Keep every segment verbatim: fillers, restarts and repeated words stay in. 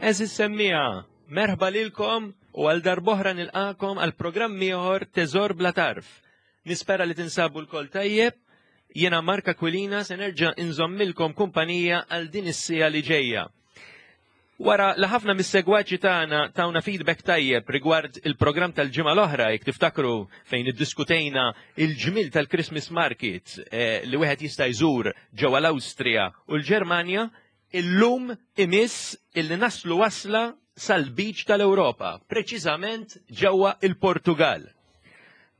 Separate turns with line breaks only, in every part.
Għeżież semmiegħa, merħba lilkom u għal darb'oħra nilqagħkom għal programm ieħor Teżor Bla Tarf. Nispera li tinsabu lkoll tajjeb, jiena Mark Aquilina se nerġa' inżommilkom kumpanija għal din is-siegħa li ġejja. Wara li ħafna mis-segwaċi tagħna tawna feedback tajjeb rigward il-programm tal-ġimgħa l-oħra, jekk tiftakru, fejn iddiskutejna il-ġmil tal-Christmas Market eh, li wieħed jista' jżur ġewwa l-Awstrija u l-Ġermanja, illum imiss illi naslu wasla sal-Lbiċ tal-Ewropa, preċiżament ġewwa il-Portugal.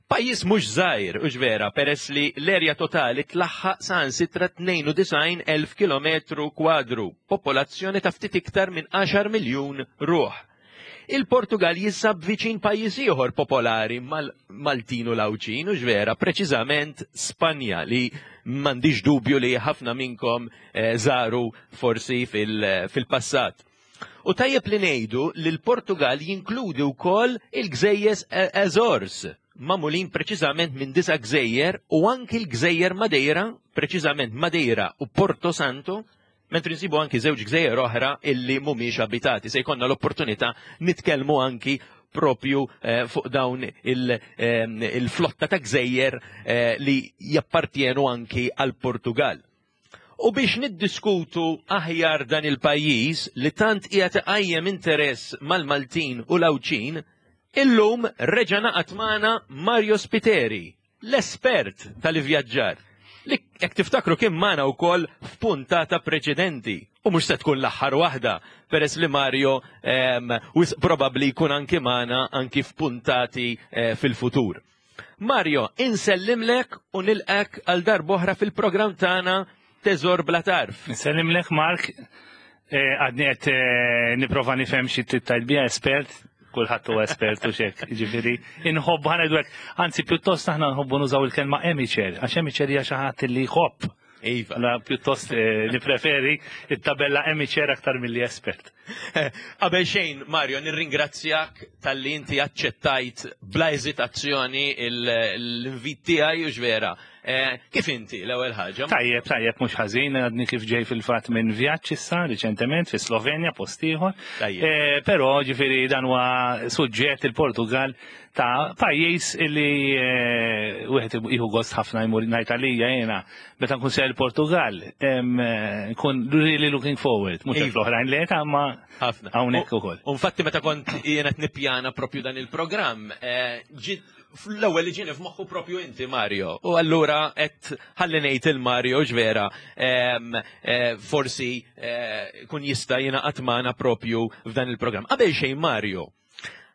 Pajjiż mhux żgħir, hux vera, peress li l-erja totali tlaħħaq saħansitra tnejn u disgħin elf kilometru kwadru, popolazzjoni ta' ftit iktar minn għaxar miljun ruħ. Il-Portugal jinsab viċin pajjiż ieħor popolari mal-Maltin u l-Għawdxin, hux vera, preċiżament Spanja, li m'għandix dubju li ħafna minnkom eh, żaru forsi fil-passat. U tajjeb li ngħidu li l-Portugal jinkludi wkoll il-gżejjes Azores, magħmulin preċiżament minn disa gżejjer u anki l-gżejjer Madeira, preċiżament Madeira u Porto Santo, mentri nsibu anki żewġ gżejjer oħra illi mhumiex abitati. Se jkollna l-opportunità nitkellmu anki propju eh, fuq dawn il-flotta ta' gżejjer eh, li jappartjenu anki għal Portugal. U biex niddiskutu aħjar dan il-pajjiż li tant qiegħed iqajjem interess mal-Maltin u l-Għawdxin, illum reġa' ngħaqad magħna Mario Spiteri, l-espert tal-ivvjaġġar, li jekk tiftakru kien magħna wkoll f'puntata preċedenti. U mhux se tkun l-aħħar waħda, peress li Mario wisq probabbli jkun anki magħna anki f'puntati eh, fil-futur. Mario, insellimlek u nilqgħek għal darb'oħra fil-programm tagħna Teżor Bla Tarf.
Nsellimlek, Mark, eh, għadni qed eh, nipprova nifhem xi tgħid biha espert, kulħadd huwa espert u xek, ġifieri inħobbu ħa ngħidu hekk, anzi pjuttost aħna nħobbu nużaw il-kelma amateur, għax amateur hija xi ħadd li jħobb.
Iva.
La pjuttost eh, nipreferi it-tabella amateur aktar milli espert.
Qabel xejn, Mario, nirringrazzjak talli inti aċċettajt bla eżitazzjoni l-invit tiegħi, hux vera. Eh, Kif inti l-ewwel ħaġa?
Tajjeb, tajjeb, mhux ħażin, għadni kif ġej fil-fatt minn vjaġġ issa riċentement fi Slovenja, post ieħor.
Tajjeb.
Eh, Però ġifieri dan huwa suġġett, il-Portugal, ta' pajjiż illi eh, wieħed jieħu gost ħafna jmur. Ngħid għalija jiena, meta nkun sejjer il-Portugal, em, eh, nkun really looking forward, mhux
Iva.
l-oħrajn le ta' ma
Ħafna.
hawnhekk
U-
ukoll.
U infatti meta kont jiena qed nippjana propju dan il-programm, eh, ġiet fl-ewwel li ġieni f'moħħu propju inti, Mario. U allura qed ħalli ngħid lil Mario, vera, em, eh, forsi eh, kun jista' jingħaqad magħna propju f'dan il-programm. Qabel xejn, Mario,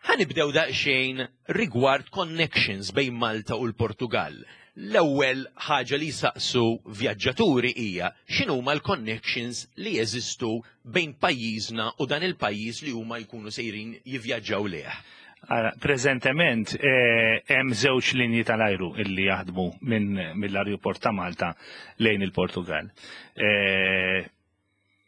ħa nibdew daqsxejn rigward connections bejn Malta u l-Portugal. L-ewwel ħaġa li saqsu vjaġġaturi hija x'inhuma l-connections li jeżistu bejn pajjiżna u dan il-pajjiż li huma jkunu sejrin jivvjaġġaw lejh.
Ara, preżentement eh, hemm żewġ linji tal-ajru illi jaħdmu minn mill-ajruport ta' Malta lejn il-Portugal. Eh,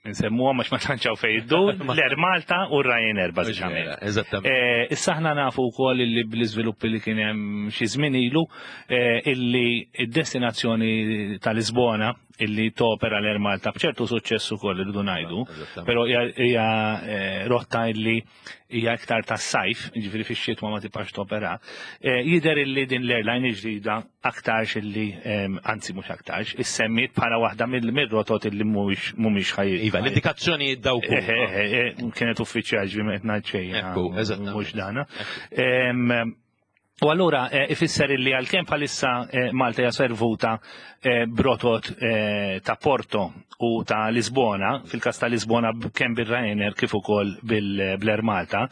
Nsemmuha għax ma tantx hawn fejn iddur, l-Air Malta u Ryanair bażikament.
Eżattament.
Eh, Issa aħna nafu wkoll illi bl-iżviluppi li kien hemm xi żmien ilu eh, illi id-destinazzjoni ta' Lisbona illi topera l-Air Malta b'ċertu suċċess ukoll, irridu ngħidu,
Eżattament.
però hija hija, eh, rotta illi hija iktar tas-sajf, ġifieri fix-xitwa ma tibqax topera. Eh, Jidher illi din l-airline il-ġdida aktarx illi em, anzi mhux aktarx, issemmiet bħala waħda mill-rotot illi mhumiex mhumiex ħaj.
Iva, l-indikazzjoni dawk.
Eh, eh, eh, Kienet uffiċjal, ġifieri qed ngħid xejn.
Ekku, eżattament.
Mhux dana. Em, U allura eh, ifisser illi għalkemm bħalissa eh, Malta hija servuta eh, b'rotot eh, ta' Porto u ta' Lisbona, fil-każ ta' Lisbona b- kemm bil-Ryanair kif ukoll bil-Air Malta,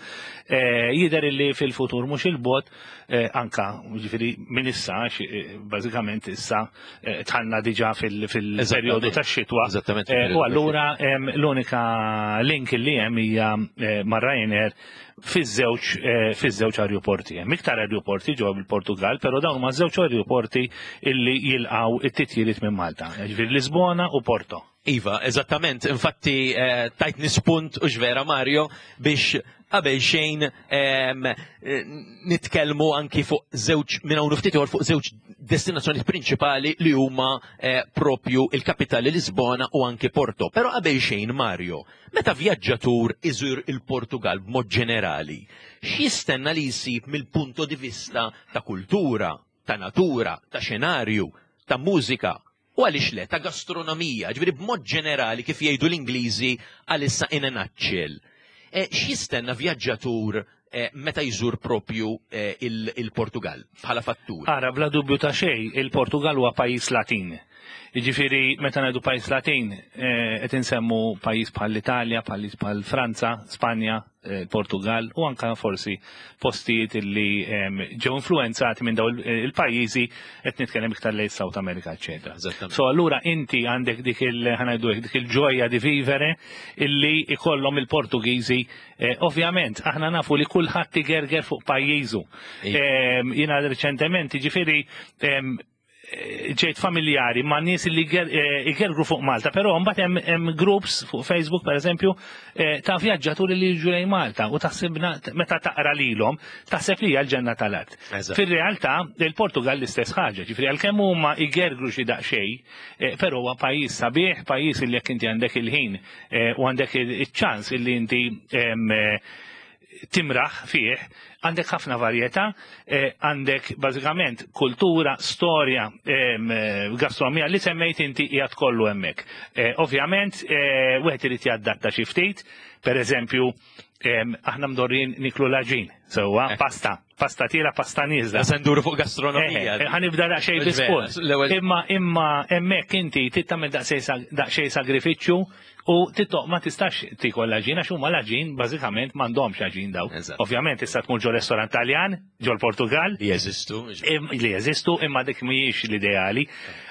eh, jidher illi fil-futur mhux il-bogħod eh, anka ġifieri minn issa, għax, eh, bażikament issa eh, dħalna diġà fil- fil-perjodu
Eżattament.
tax-xitwa.
Eżattament,
Eh,
fil-perjodu
U allura em, l-unika link li hemm hija eh, ma' Ryanair fiż-żewġ eh, fiż-żewġ ajruporti. Hemm iktar ajruporti ġewwa bil-Portugal, però dawn huma żewġ ajruporti illi jilqgħu it-titjiriet minn Malta. Ġifieri Lisbona u Porto.
Iva, eżattament. Infatti, eh, tajtni spunt u vera, Mario, biex qabel xejn em, eh, nitkellmu anki fuq żewġ minn hawn ftit ieħor fuq żewġ destinazzjoni prinċipali li huma eh, propju il-kapitali Lisbona u anki Porto. Però qabel xejn, Mario, meta vjaġġatur iżur il-Portugal b'mod ġenerali, x'jistenna li jsib mill-punto di vista ta' kultura, ta' natura, ta' xenarju, ta' mużika, u għaliex le, ta' gastronomija, ġifieri b'mod ġenerali, kif jgħidu l-Ingliżi għalissa, in a nutshell? E, X'jistenna vjaġġatur eh, meta jżur propju eh, il- il-Portugal bħala fattur?
Ara, bla dubju ta' xej, il-Portugal huwa pajjiż Latin. Jiġifieri, meta ngħidu pajjiż Latin, eh, qed insemmu pajjiż bħal l-Italja, pajjiż bħal Franza, Spanja, eh, Portugal u anka forsi postijiet li em, ġew influenzati minn dawn il- il-pajjiżi, qed nitkellem iktar lejn South America, eċetera.
Eżattament.
So allura inti għandek dik il ħa ngħidu hekk, dik il-ġoja di vivere illi ikollhom il-Portugiżi. Eh, ovvjament, aħna nafu li kulħadd igerger fuq pajjiżu.
Iva.
Em, Jiena reċentement, ġifieri, em, eh, ġejt familjari ma' nies li ger- eh, igergru fuq Malta, però mbagħad hemm hemm groups fuq Facebook, per eżempju, eh, ta' vjaġġaturi li jiġu lejn Malta u taħsibna, meta taqra lilhom taħseb li hija l-ġenna tal-art.
Eżatt.
Fir-realtà il-Portugal l-istess ħaġa, ġifieri għalkemm huma igergru xi daqsxejn, eh, però huwa pajjiż sabiħ, pajjiż li jekk inti għandek il-ħin eh, u għandek il-ċans illi inti em, eh, timraħ fih, għandek ħafna varjetà, eh, għandek bażikament kultura, storja, em, eh, gastronomija li semmejt inti qiegħed kollu hemmhekk. Eh, Ovvjament, eh, wieħed irid jadatta xi ftit, per eżempju, em, aħna mdorrin niklu l-għaġin, sewwa, pasta, pasta tielgħa, pasta nieżla.
Se nduru fuq gastronomija.
Eh, Ħa nibda daqsxejn
Mhux vera,
bisport.
l-ewwel-
Imma imma hemmhekk inti trid tagħmel daqsxejn daqsxejn sagrifiċċju u tittoq ma tistax tikol l-għaġin għax huma l-għaġin bażikament m'għandhomx għaġin daw.
Eżatt.
Ovvjament tista' tmur ġo restorant Taljan, ġo l-Portugal,
Li jeżistu.
im- li jeżistu, imma dik mhijiex l-ideali.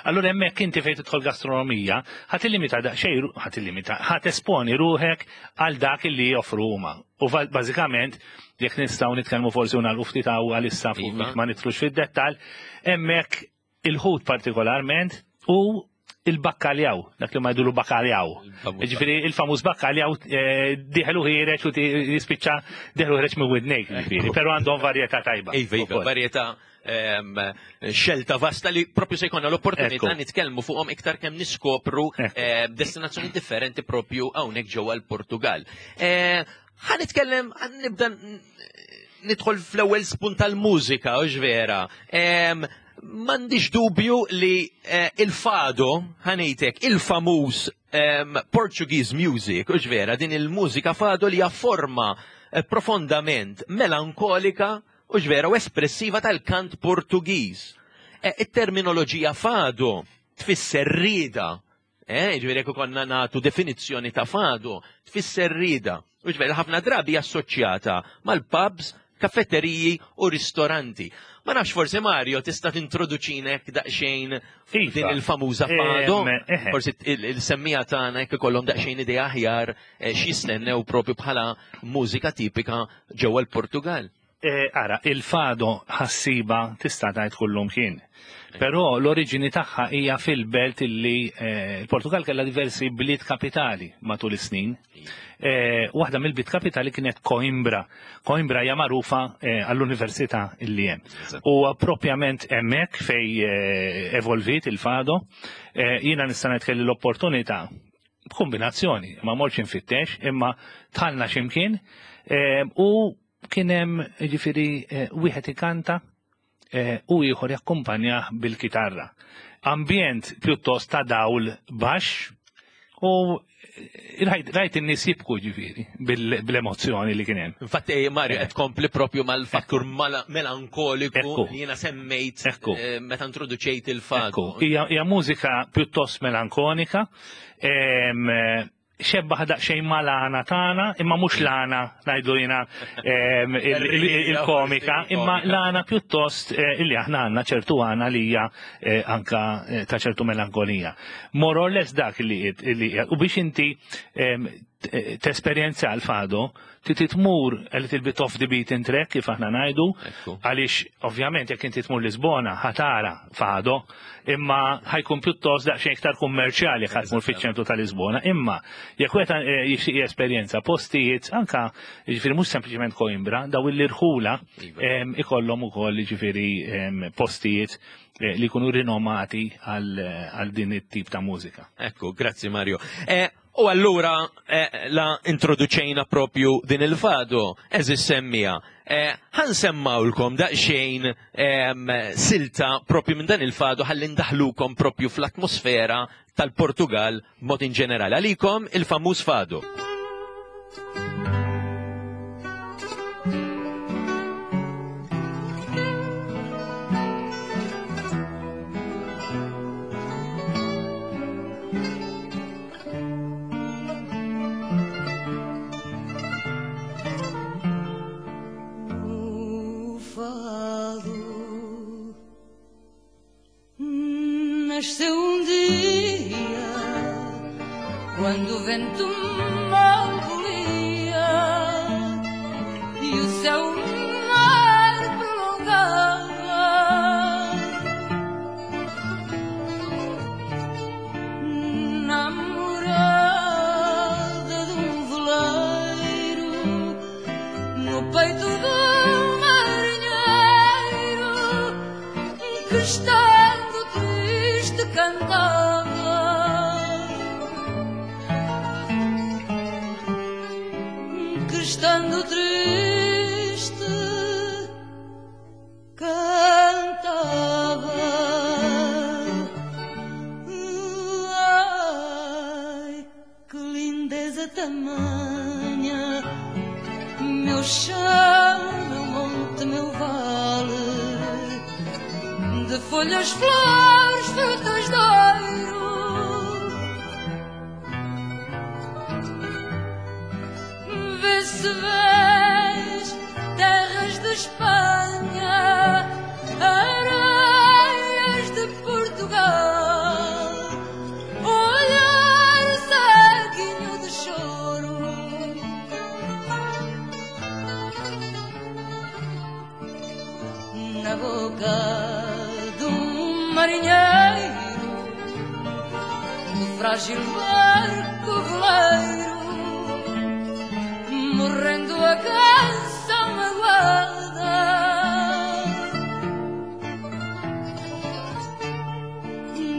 Allura hemmhekk inti fejn tidħol gastronomija, ħa tillimita daqsxejn, ħa tillimita, ħa tesponi ruħek għal dak li joffru huma. U va- bażikament jekk nistgħu nitkellmu forsi u nagħlqu ftit hawn għalissa fuq
Iva.
biex ma nidħlux fid-dettall, hemmhekk il-ħut partikolarment u il-bakkaljaw, dak li ma jgħidulu bakkaljaw.
Il-famuż.
Ġifieri il-famuż bakkaljaw eh, dieħel u ħiereġ u ti- jispiċċa dieħel u ħiereġ minn widnejk, ġifieri, però għandhom varjetà tajba.
Iva, iva,
ukoll.
varjetà, em, xelta vasta li propju se jkollna l-opportunità
Ekku.
nitkellmu fuqhom iktar kemm niskopru
Ekku.
eh, destinazzjoni differenti propju hawnhekk ġewwa l-Portugal. Eh, Ħa nitkellem, ħa nibda n- nidħol fl-ewwel spunt tal-mużika, u vera. Em, M'għandix dubju li eh, il-fado, ħa ngħidlek, il-famuż em, Portuguese music, u vera, din il-mużika fado li hija forma eh, profondament melankolika u vera u espressiva tal-kant Portugiż. Eh, Il-terminoloġija fado tfisser rida. Eh, ġifieri jekk konna nagħtu definizzjoni ta' fado, tfisser rida. U ġifieri ħafna drabi assoċjata mal-pubs, kafetteriji u ristoranti. Ma nafx, forsi Mario tista' tintroduċinek daqsxejn
Iva.
din il-famuża fado.
Em, eħe.
Forsi il- il-semmija tagħna jekk ikollhom daqsxejn idea aħjar eh, x'jistennew propju bħala mużika tipika ġewwa l-Portugal.
Eh, Ara, il-fado ħassiba tista' tgħid kullum kien. Però l-oriġini tagħha hija fil-belt illi eh, il-Portugal kellha diversi bliet kapitali matul is-snin. Eh, Waħda mill-bliet kapitali kienet Coimbra. Coimbra hija magħrufa eh, għall-università illi hemm.
Eżatt.
U propjament hemmhekk fej eh, evolvit il-fado, eh, jiena nista' ngħid kelli l-opportunità b'kombinazzjoni, ma mortx infittex, imma dħalna x'imkien eh, u kien hemm ġifieri eh, wieħed ikanta eh, u ieħor jakkumpanjah bil-kitarra. Ambjent pjuttost ta' dawl baxx u eh, rajt, rajt in-nies jibku ġifieri bil- bil-emozzjoni li kien hemm.
Infatti, eh, Mario, qed tkompli propju mal-fattur mala- melankoliku
Ekku.
li jiena semmejt
Ekku.
eh, meta introduċejt il-fado.
Ekku, hija hija mużika pjuttost melankonika, em, eh, xebbaħ daqsxejn mal-għana tagħna, imma mhux l-għana ngħidu jiena em, il- il- il-komika, imma l-għana pjuttost eh, illi aħna għandna ċertu għana li hija eh, anka eh, ta' ċertu melankolija. More or less dak li li u biex inti em, tesperjenza l-fado, trid tmur a little bit off the beaten track, kif aħna ngħidu, għaliex ovvjament jekk inti tmur Lisbona ħa tara fado, imma ħa jkun pjuttost daqsxejn iktar kummerċjali ħa tmur fiċ-ċentru ta' Lisbona, imma jekk wieħed eh, jixtieq jesperjenza postijiet anka jiġifieri mhux sempliċement Coimbra, daw l-irħula
Iva.
ikollhom ukoll jiġifieri postijiet eh, li jkunu rinomati għal din it-tip ta' mużika.
Ekku, grazzi Mario. Eh, U allura eh, la introduċejna propju din il-fado, għeżież semmiegħa. Eh, ħa nsemmgħulkom daqsxejn silta propju minn dan il-fado ħalli ndaħlukom propju fl-atmosfera tal-Portugal mod in ġenerali. Għalikom il-famuż fado.
Nasceu um dia, quando o vento mal bulia e o céu mar prolongava. Namorada de um veleiro, no peito de um marinheiro que está cantava, que estando triste cantava. Ai, que lindeza tamanha, meu chão, meu monte, meu vale, de folhas, flores, frutas de ouro. Vê se vês terras de Espanha, areias de Portugal, olhar ceguinho de choro. Na boca marinheiro, do frágil barco veleiro, morrendo a canção magoada.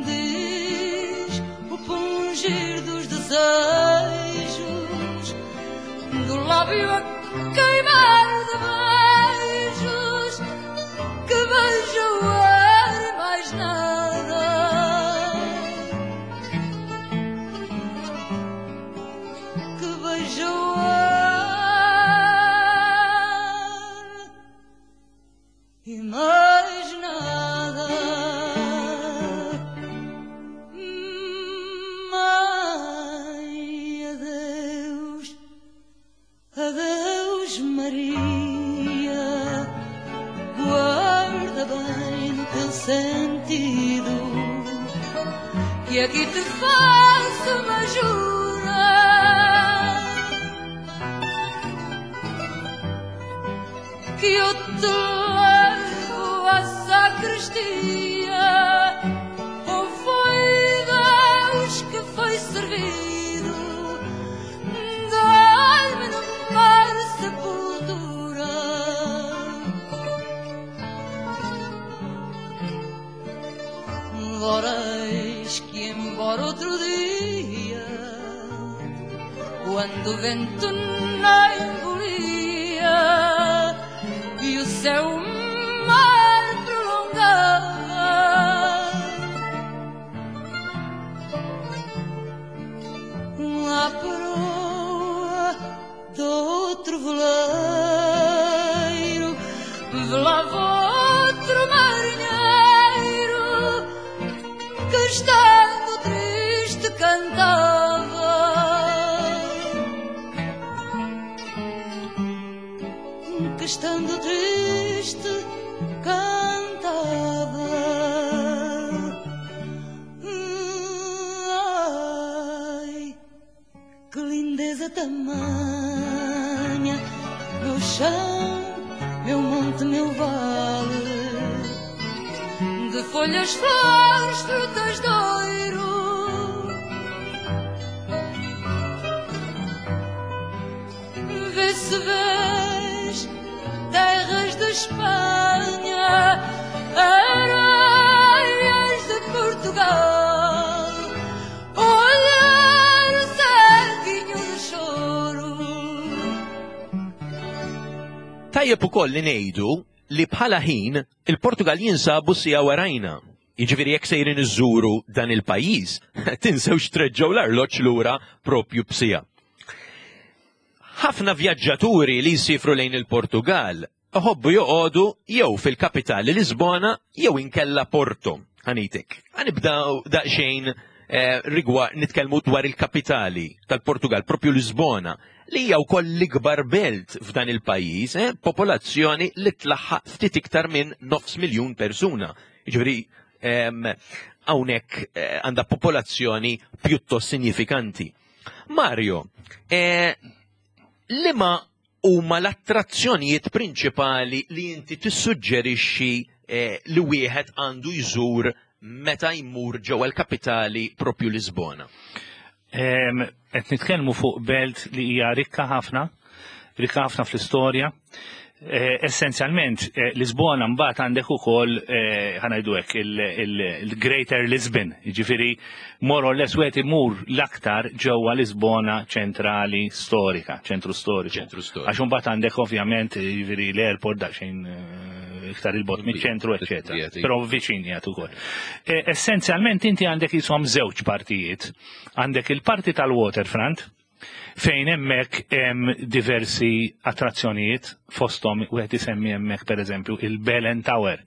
Diz o pungir dos desejos, do lábio a queimar de beijos, que beija o ar e mais nada. Que beija o ar e mais nada. Mãe, adeus, adeus Maria, guarda bem no teu sentido, que aqui te faço uma jura. Que eu te levo à sacristia, ou foi Deus que foi servido, dai-me no mar sepultura. Ora eis que embora outro dia, quando o vento nem bulia e o céu mar prolongava, à proa de outro veleiro velava outro marinheiro que estando triste cantava. Que estando triste cantava. Ai, que lindeza Tamanha, meu chão, meu monte, meu vale, de folhas, flores, frutas de ouro. Vê se vês terras de Espanha, areias de Portugal, olhar saquinho de choro.
Tajjeb ukoll li ngħidu li bħala ħin il-Portugal jinsabu siegħa warajna. Jiġifieri jekk sejrin iżuru dan il-pajjiż, tinsewx treġġgħu l-arloġġ lura propju b'siegħa. Ħafna vjaġġaturi li jsifru lejn il-Portugal iħobbu joqogħdu jew fil-kapitali Lisbona jew inkella Porto. Ħa ngħidlek. Ħa nibdew daqsxejn eh, rigward nitkellmu dwar il-kapitali tal-Portugal, propju Lisbona, li hija wkoll l-ikbar belt f'dan il-pajjiż, eh, popolazzjoni li tlaħħaq ftit iktar minn nofs miljun persuna. Jiġifieri em, hawnhekk eh, għandha popolazzjoni pjuttost sinifikanti. Mario, eh, liema huma l-attrazzjonijiet prinċipali li inti tissuġġerixxi eh, li wieħed għandu jżur meta jmur ġewwa l-kapitali propju Lisbona?
Em, Qed nitkellmu fuq belt li hija rikka ħafna, rikka ħafna fl-istorja. Eh, Essenzjalment, eh, Lisbona mbagħad għandek ukoll eh, ħa ngħidu hekk il-Greater Lisbon, jiġifieri more or less wieħed imur l-aktar ġewwa Lisbona ċentrali storika, ċentru storiku.
Ċentru storiku.
Għax imbagħad għandek ovvjament jiġifieri l-airport daqsxejn eh, iktar 'il bogħod miċ-ċentru, eċetera.
Qiegħed,
Però viċin qiegħed ukoll. Eh, Essenzjalment inti għandek jisom żewġ partijiet. Għandek il-parti tal-waterfront, fejn hemmhekk hemm diversi attrazzjonijiet, fosthom wieħed isemmi hemmhekk pereżempju il-Belen Tower.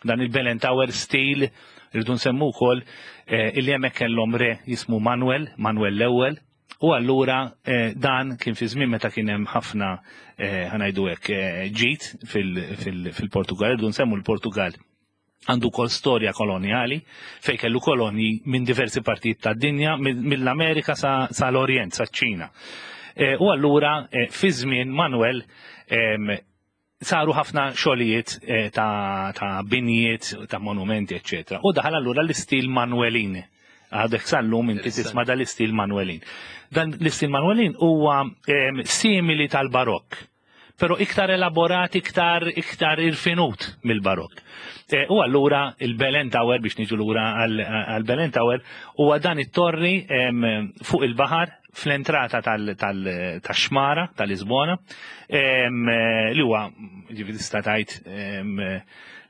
Dan il-Belen Tower stil rridu nsemmu wkoll eh, illi hemmhekk kellhom re jismu Manuel, Manuel l-ewwel, u allura eh, dan kien fi żmien meta kien hemm ħafna eh, ħa ngħidu hekk eh, ġid fil-Portugal, rridu nsemmu l-Portugal għandu kol storja koloniali fej kellu kolonji minn diversi partijiet tad-dinja, mill-Amerika sa, sa l-Orient, sa ċ-Ċina. E, u allura e, fi żmien Manuel em, saru ħafna xogħlijiet e, ta', ta' binjiet, ta' monumenti, eccetera. U daħal allura l-istil Manuelin. Għadek sal-lum inti tisma' dal-istil Manuelin. Dan l-istil Manuelin huwa em, simili tal-barokk, pero iktar elaborat, iktar, iktar irfinut mill-barokk. E, u allura il-Belen Tower, biex niġu lura għal-Belen Tower, huwa dan it-torri em, fuq il-baħar fl-entrata tal-xmara tal-Lisbona, em, li huwa, ġifieri tista' tgħid, em,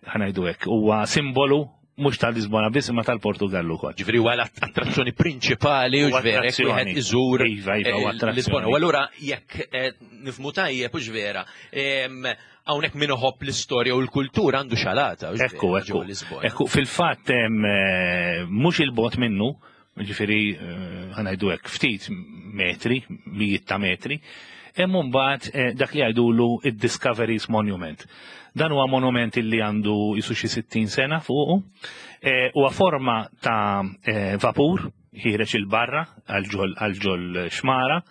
ħa ngħidu hekk, huwa simbolu mhux tal-Lisbona biss imma tal-Portugallu ukoll.
Ġifieri huwa l-attrazzjoni prinċipali u
Huwa
ġverek
attrazzjoni.
wieħed iżur
Iva, iva, huwa
eh,
attrazzjoni.
Lisbona. U allura jekk eh, nifhmu tajjeb u vera, em, hawnhekk min iħobb l-istorja u l-kultura għandu xalata. U
Ekku,
ġvera,
ekku.
ġewwa Lisbona.
Ekku, fil-fatt em, eh, mhux 'il bogħod minnu, ġifieri eh, ħa ngħidu hekk ftit metri, mijiet ta' metri, hemm mbagħad eh, dak li jgħidulu id-Discoveries Monument. Dan huwa monument li għandu jisu xi sittin sena fuqu, eh, huwa forma ta' eh, vapur ħiereġ 'il barra għal ġol xmara,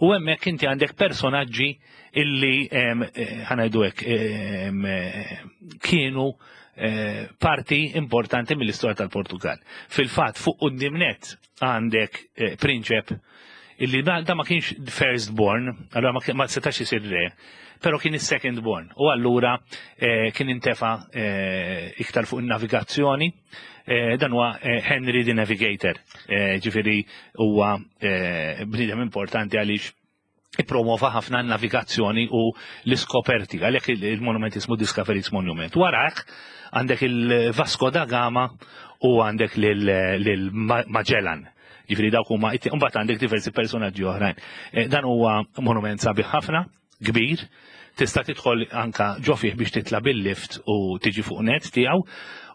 u hemmhekk inti għandek personaġġi illi em, eh, ħa ngħidu hekk em, eh, kienu eh, parti importanti mill-istorja tal-Portugal. Fil-fatt fuq quddiem nett għandek eh, prinċep illi da, da ma kienx first born, allora ma, kien- ma setax isir re, pero kien is-second born. U allura eh, kien intefa eh, iktar fuq in-navigazzjoni, eh, dan huwa eh, Henry the Navigator, eh, ġifieri huwa eh, bniedem importanti għaliex ippromova ħafna n-navigazzjoni u l-iskoperti, għalhekk il- il-monument ismu Discoveries Monument. Warajh għandek il-Vasco da Gama u għandek lil Magellan. Ġifieri dawk huma, mbagħad għandek diversi personaġġi oħrajn. Eh, Dan huwa monument sabiħ ħafna, kbir, tista' tidħol anka ġo fih biex titla' bil-lift u tiġi fuq net tiegħu.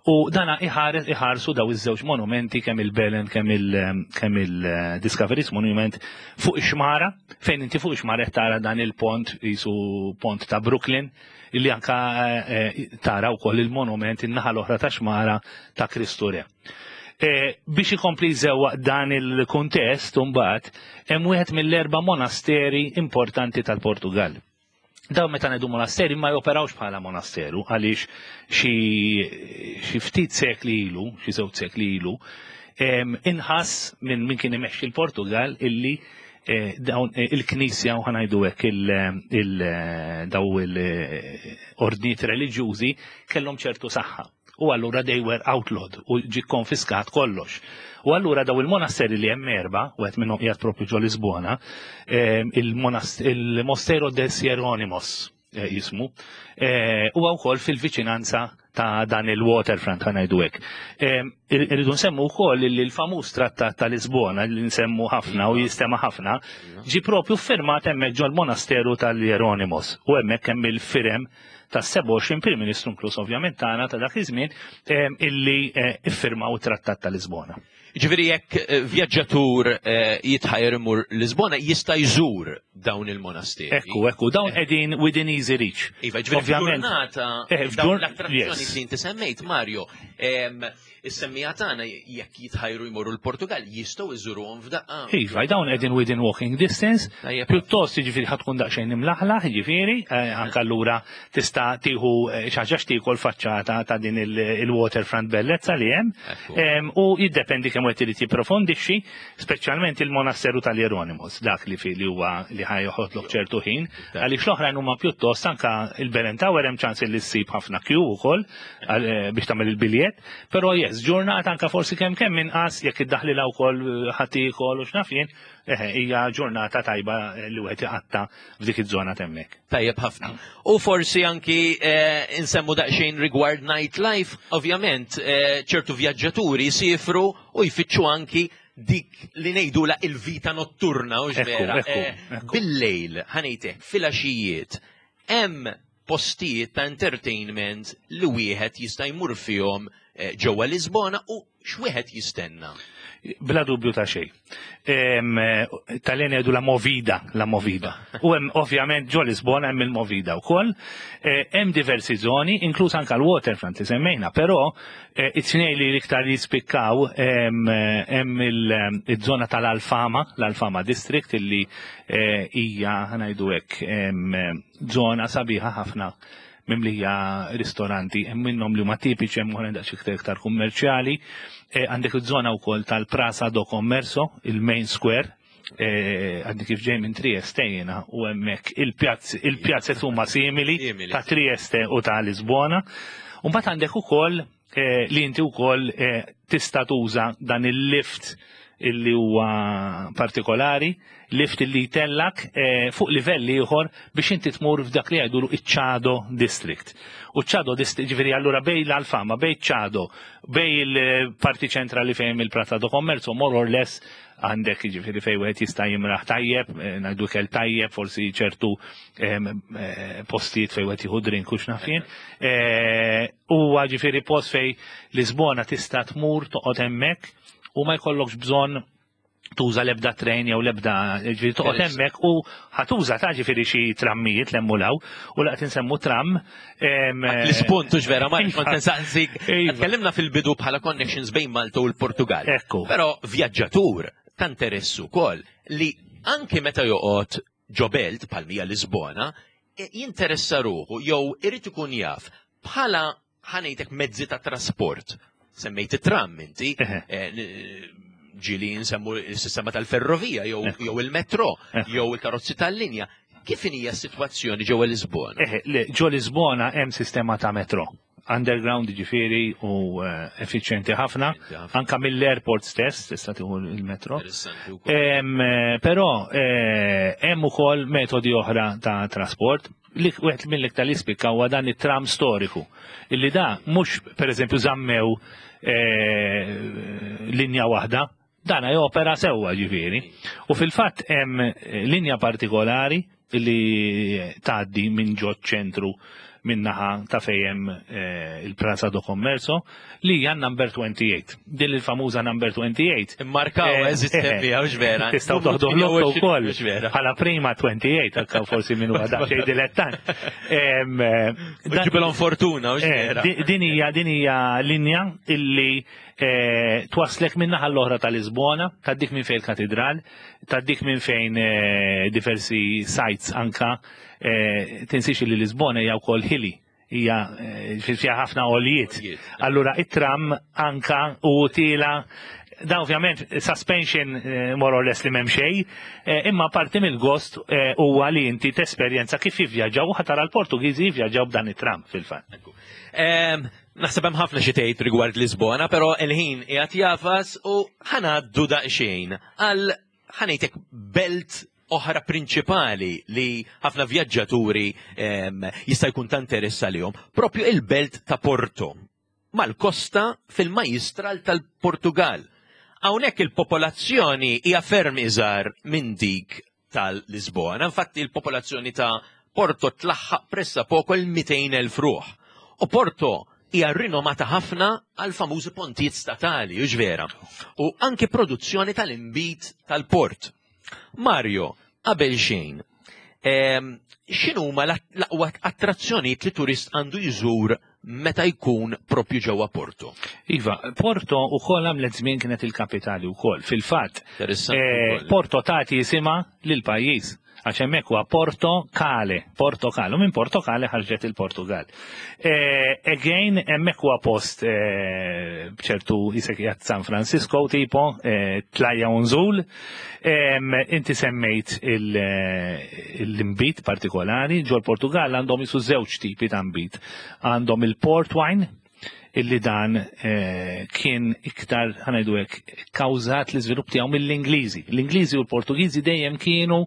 U dana iħares iħarsu daw iż-żewġ monumenti, kemm il-Belen kemm il kemm il-Discoveries Monument, fuq ix-xmara, fejn inti fuq ix-xmara qed tara dan il-pont jisu pont ta' Brooklyn, illi anka eh, tara wkoll il-monument in-naħa l-oħra ta' xmara ta' Kristu Re. Eh, biex ikompli jżewwaq dan il-kuntest mbagħad hemm wieħed mill-erba' monasteri importanti tal-Portugal. Daw meta ngħidu monasteri ma joperawx bħala monasteru għaliex xi xi ftit sekli ilu, xi żewġ sekli ilu, em, inħass minn min kien imexxi l-Portugal illi eh, dawn eh, il-Knisja u ħa ngħidu hekk il- il- daw il-ordnijiet reliġjużi kellhom ċertu saħħa. U allura they were outlawed u ġi konfiskat kollox. U allura daw il-monasteri li hemm erba, u qed minnhom qiegħed propju ġo Lisbona, em, il-monast- il-Mosteiro des Jerónimos eh, jismu, eh, huwa wkoll fil-viċinanza ta' dan il-waterfront ħa ngħidu hekk. Em, ir- Irridu nsemmu wkoll li l-famuż trattat ta' Lisbona li nsemmu ħafna u jistema ħafna, ġi propju firmat hemmhekk ġol-monasteru tal-Jeronimos u hemmhekk hemm il-firem ta' sebgħa u għoxrin Prim Ministru, inkluż ovvjament tagħna ta' dak iż-żmien, em, illi eh, iffirmaw it-Trattat ta' Lisbona.
Ġifieri jekk eh, vjaġġatur eh, jitħajr imur Lisbona, jista' jżur dawn il-monasteri.
Ekku, ekku, dawn qegħdin within easy reach.
Iva, ġifieri
Ovvjament.
ġurnata
Eh,
dawn
f'ġur-
l-attrazzjoni
yes.
li inti semmejt, Mario, em, is-semmija tagħna jekk jitħajru jmorru l-Portugal jistgħu jżuruhom f'daqqa.
Iva, dawn qegħdin within walking distance.
Tajjeb.
Pjuttost jiġifieri ħa tkun daqsxejn imlaħlaħ, jiġifieri, eh, anke allura tista' tieħu eh, xi ħaġa x'tiekol faċċata ta' din il- il-waterfront bellezza li hemm.
Ekku.
Em, U jiddependi kemm wieħed irid jipprofondixxi, speċjalment il-monasteru tal-Jeronimos, dak li fi li huwa li ħa joħodlok ċertu ħin, għaliex l-oħrajn huma pjuttost anka il-Belen Tower hemm ċans li ssib ħafna queue ukoll għal- eh, biex tagħmel il-biljett, però yes, ġurnata anka forsi kemm kemm inqas jekk iddaħlilha wkoll ħadd iekol u x'naf jien, eh, hija ġurnata tajba eh, li wieħed iqatta f'dik iż-żona t'hemmhekk.
Tajjeb ħafna. U forsi anki eh, insemmu daqsxejn rigward nightlife, ovvjament eh, ċertu vjaġġaturi jsifru u jfittxu anki dik li ngħidula il-vita notturna, u
Ekku,
vera.
ekku,
Eh,
ekku.
Bil-lejl, ħa ngħidlek, fil-għaxijiet, hemm postijiet ta' entertainment li wieħed jista' jmur fihom eh, ġewwa Lisbona u x'wieħed jistenna?
Bla dubju ta' xejn. Tal-eni għedu la movida, la movida. U hemm ovvjament ġo Lisbona hemm il-movida wkoll. Eh, Hemm diversi zoni, inkluż anka l-waterfront li semmejna, però eh, it-tnejn li l-iktar jispikkaw hemm hemm il- il-żona tal-Alfama, l-Alfama District, illi eh, hija ħa ngħidu hekk em, żona sabiħa ħafna mimlija ristoranti, hemm minnhom li huma tipiċi, hemm oħrajn daqs iktar iktar kummerċjali. Eh, Għandek iż-żona wkoll tal-Praça do Commercio, il-Main Square, eh, għadni kif ġej minn Trieste jiena u hemmhekk il-pjazz il-pjazzet huma simili
Simili.
ta' Trieste u ta' Lisbona. U mbagħad għandek ukoll eh, li inti wkoll eh, tista' tuża dan il-lift illi huwa partikolari, lift illi jtellak eh, fuq livell ieħor biex inti tmur f'dak li jgħidulu iċ-Chiado District. U Chiado District, ġifieri allura bejn l-Alfama, bejn Chiado, bejn il-parti ċentrali fejn il-Praça do Commercio, more or less għandek ġifieri fejn wieħed jista' jimraħ tajjeb, eh, ngħidu kell tajjeb, forsi ċertu em, eh, postijiet fejn wieħed jieħu drink u x'naf jien. Eh, Huwa ġifieri post fejn Lisbona tista' tmur toqgħod hemmhekk u ma jkollokx bżonn tuża l-ebda train jew l-ebda ġifieri toqgħod hemmhekk u ħa tuża ta' ġifieri xi trammijiet l-emmulaw u laqt insemmu tram. em,
L-ispuntu vera, ma
Iva.
kont nsaqsik.
Iva.
Tkellimna fil-bidu bħala connections bejn Malta u l-Portugal.
Ekku.
Però vjaġġatur ta' interess ukoll li anke meta joqgħod ġo belt bħal mija Lisbona, e- jinteressa ruħu jew irid ikun jaf bħala ħa ngħidlek mezzi ta' trasport. Semmejt it-tram inti,
Eħe.
eh, n- ġili nsemmu il-sistema tal-ferrovija jew
Ekku.
jew il-metro
Ekku.
jew il-karozzi tal-linja. Kif hija s-sitwazzjoni ġewwa Lisbona?
Eħe, le, ġo Lisbona hemm sistema ta' metro. Underground ġifieri u eh, effiċjenti ħafna.
Effiċjenti ħafna.
Anka mill-airport stess tista' tieħu il-metro.
Interessanti wkoll.
Em, eh, Però eh, hemm ukoll metodi oħra ta' trasport. Li wieħed mill-iktar li spikka huwa dan it-tram storiku. Illi da mhux pereżempju żammew eh, linja waħda, dana jopera sewwa ġifieri. U fil-fatt hemm eh, linja partikolari li tgħaddi minn ġo ċentru Min-naħa ta' fejn eh, il-Praça do Commercio li hija number twenty-eight. Din il-famuża number twenty-eight.
Immarkaw,
Eh,
eżist
eh,
bija, hux vera?
Tistgħu toħdu l-lotto wkoll.
Hux vera?
Bħala prima twenty-eight, anka forsi minn huwa daqsxejn dilettant. Em, eh, dan-
Ġibilhom fortuna, hux
Eh,
vera?
di- Din hija din hija linja illi eh, twaslek minn naħa l-oħra tal-Lisbona, tgħaddik minn fejn il-katedral, tgħaddik minn fejn eh, diversi sites anka, eh, tinsiex li Lisbona hija wkoll hilly, hija eh, fiha ħafna għoljiet.
Għoljiet.
Allura it-tram anka u tila da ovvjament suspension eh, more or less li m'hemm xejn, eh, imma parti mill-gost eh, huwa li inti tesperjenza kif jivvjaġġaw u ħa tara l-Portugiżi jivvjaġġaw b'dan it-tram fil-fatt.
Em, Naħseb hemm ħafna xi tgħid rigward Lisbona, però il-ħin qiegħed jagħfas u ħa ngħaddu daqsxejn għal, ħa ngħidlek, belt oħra prinċipali li ħafna vjaġġaturi em, jista' jkun ta' interess għalihom, propju il-belt ta' Porto, mal-kosta fil-majistral tal-Portugal. Hawnhekk il-popolazzjoni hija ferm iżgħar minn dik tal-Lisbona. Infatti il-popolazzjoni ta' Porto tlaħħaq pressappoco il-mitejn elf ruħ. U Porto hija rinomata ħafna għal famużi pontijiet statali, hux vera? U anke produzzjoni tal-imbit tal-port. Mario, qabel xejn, em, x'inhuma l-aqwa attrazzjonijiet li turist għandu jżur meta jkun propju ġewwa Porto?
Iva, Porto ukoll għamlet żmien kienet il-kapitali ukoll. Fil-fatt,
Interessanti
eh,
wkoll.
Porto tagħti jisimha lil pajjiż. Għax hemmhekk huwa Porto Kale, Porto Kale, u minn Porto Kale ħarġet il-Portugal. Eh, again, hemmhekk huwa post eh, ċertu jisek qiegħed San Francisco tipo, eh, tlajja u nżul. Em, Inti semmejt il- eh, l-imbit partikolari, ġol Portugal għandhom jisu żewġ tipi ta' imbit. Għandhom il-port wine, illi dan eh, kien iktar, ħa ngħidu hekk, kawżat l-iżvilupp tiegħu mill-Ingliżi. L-Ingliżi u l-Portugiżi dejjem kienu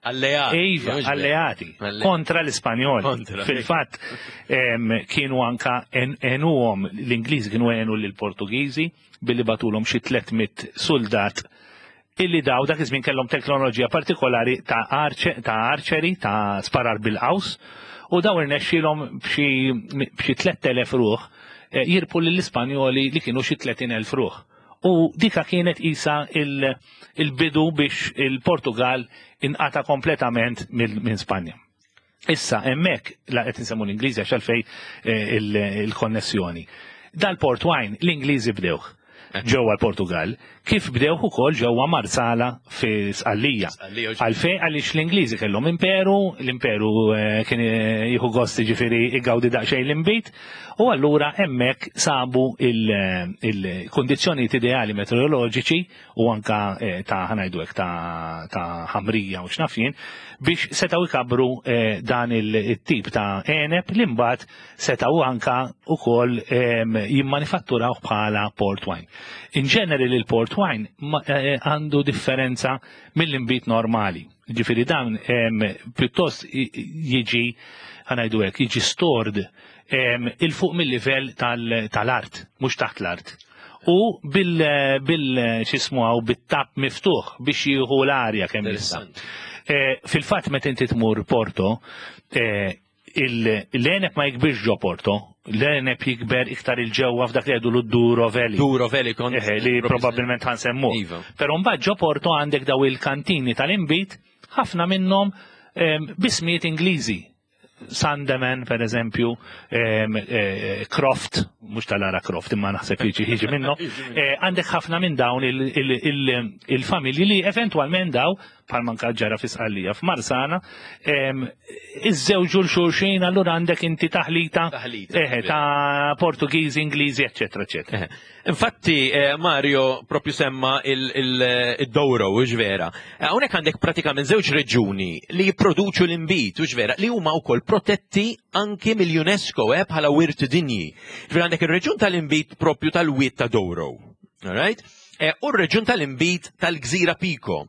Alleati.
Iva,
Hux vera?
alleati
Alleati.
kontra l-Ispanjoli.
Kontra.
Fil-fatt em, kienu anka en- għenuhom, l-Ingliżi kienu għenu l-Portugiżi billi bagħtulhom xi tliet mitt soldat illi daw dak iż-żmien kellhom teknoloġija partikolari ta' arche, ta' archery, ta' sparar bil-qaws, u daw irnexxielhom b'xi b'xi tlett elef ruħ eh, jirbħu lill-Ispanjoli li kienu xi tletin elf ruħ. U dika kienet isa il- il-bidu biex il-Portugal inqata kompletament mill- minn Spanja. Issa, hemmhekk, la qed insemmu l-Ingliżi għax għalfej eh, il- il-konnessjoni. Dal-port wine l-Ingliżi bdewh ġewwa l-Portugal, kif bdewh ukoll ġewwa Marsala fi Sqallija.
Sqallija, u
Għalfej? Għaliex l-Ingliżi kellhom imperu, l-imperu eh, kien eh, jieħu gost ġifieri igawdi daqsxejn l-imbit, u allura hemmhekk sabu il-kondizzjonijiet ideali meteoroloġiċi u anka eh, ta', ħa ngħidu hekk, ta' ta' ħamrija u x'naf jien biex setgħu jkabru eh, dan il-tip ta' eneb li mbagħad setgħu anka ukoll em, jimmanifatturaw bħala port wine. In ġeneri il-port wine ma- eh, għandu differenza mill-imbit normali. Ġifieri dan em, pjuttost i- jiġi, ħa ngħidu hekk, jiġi stored em, il-fuq mill-livell tal- tal-art, mhux taħt l-art. U bil, bil x'jismu għaw bit-tap miftuħ biex jieħu l-arja kemm jista'.
Interessanti.
Eh, Fil-fatt meta inti tmur Porto, eh, il- l-għeneb ma jikbirx ġo Porto, l-għeneb jikber iktar il-ġewwa f'dak li jgħidu l-Duro Valley.
Duro Valley kont.
Eh, li probabbilment ħa nsemmu.
Iva.
Pero mbagħad ġo Porto għandek daw il-kantini tal-imbit, ħafna minnhom em, b'ismijiet Ingliżi. Sandeman, per eżempju, em, eh, Croft, mhux tal-Lara Croft, imma naħseb jiġi jiġi minnu. Eh, Għandek ħafna minn dawn il- il- il- il-familji li eventualment daw, bħal manka ġara fi Sqallija f'Marsala, em, iżżewġu l-xulxin, allura għandek inti taħlita,
Taħlita,
eh, ta' Portugiżi, Ingliżi, eccetera, eccetera.
Eh, Infatti, eh, Mario propju semma il-Douro, hux vera? Eh, Hawnhekk għandek pratikament żewġ reġuni li jipproduċu l-imbit, hux vera, li huma wkoll protetti anki mill-UNESCO eh, bħala wirt dinji. Ġifieri għandek ir-reġun tal-imbit propju tal-wied ta' Douro. Alright? Eh, U r-reġun tal-imbit tal-Gżira Pico.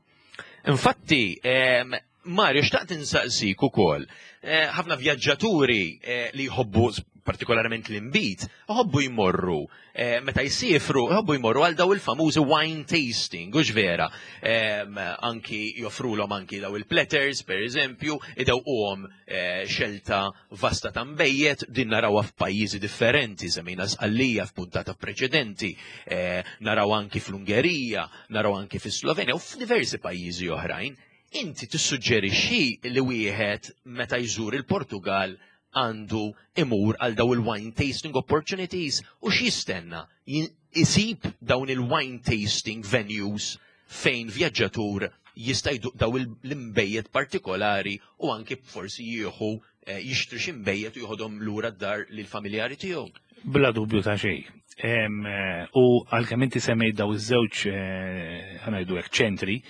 Infatti, em, Mario, xtaqt insaqsik ukoll. Eh, ħafna vjaġġaturi eh, li jħobbu partikolarment l-inbid, iħobbu jmorru, eh, meta jsiefru, iħobbu jmorru għal daw il-famużi wine tasting, hux vera? Em, anki joffrulhom anki daw il-platters, per eżempju, idewquhom eh, xelta vasta ta' nbejjed, din narawha f'pajjiżi differenti, semmejna Sqallija f'puntata preċedenti, eh, naraw anki fl-Ungerija, naraw anki fis-Slovenja u f'diversi pajjiżi oħrajn. Inti tissuġġerixxi li wieħed meta jżur il-Portugal għandu imur għal daw il-wine tasting opportunities u x'jistenna? Jin- Isib dawn il-wine tasting venues fejn vjaġġatur jista' jduq daw il- l-imbejjed partikolari u anki forsi jieħu eh, jixtri xi mbejjed u jieħodhom lura d-dar lill-familjari tiegħu.
Bla dubju ta' xejn. Em, eh, U għalkemm inti semmejt daw iż-żewġ eh, ħa ngħidu hekk ċentri,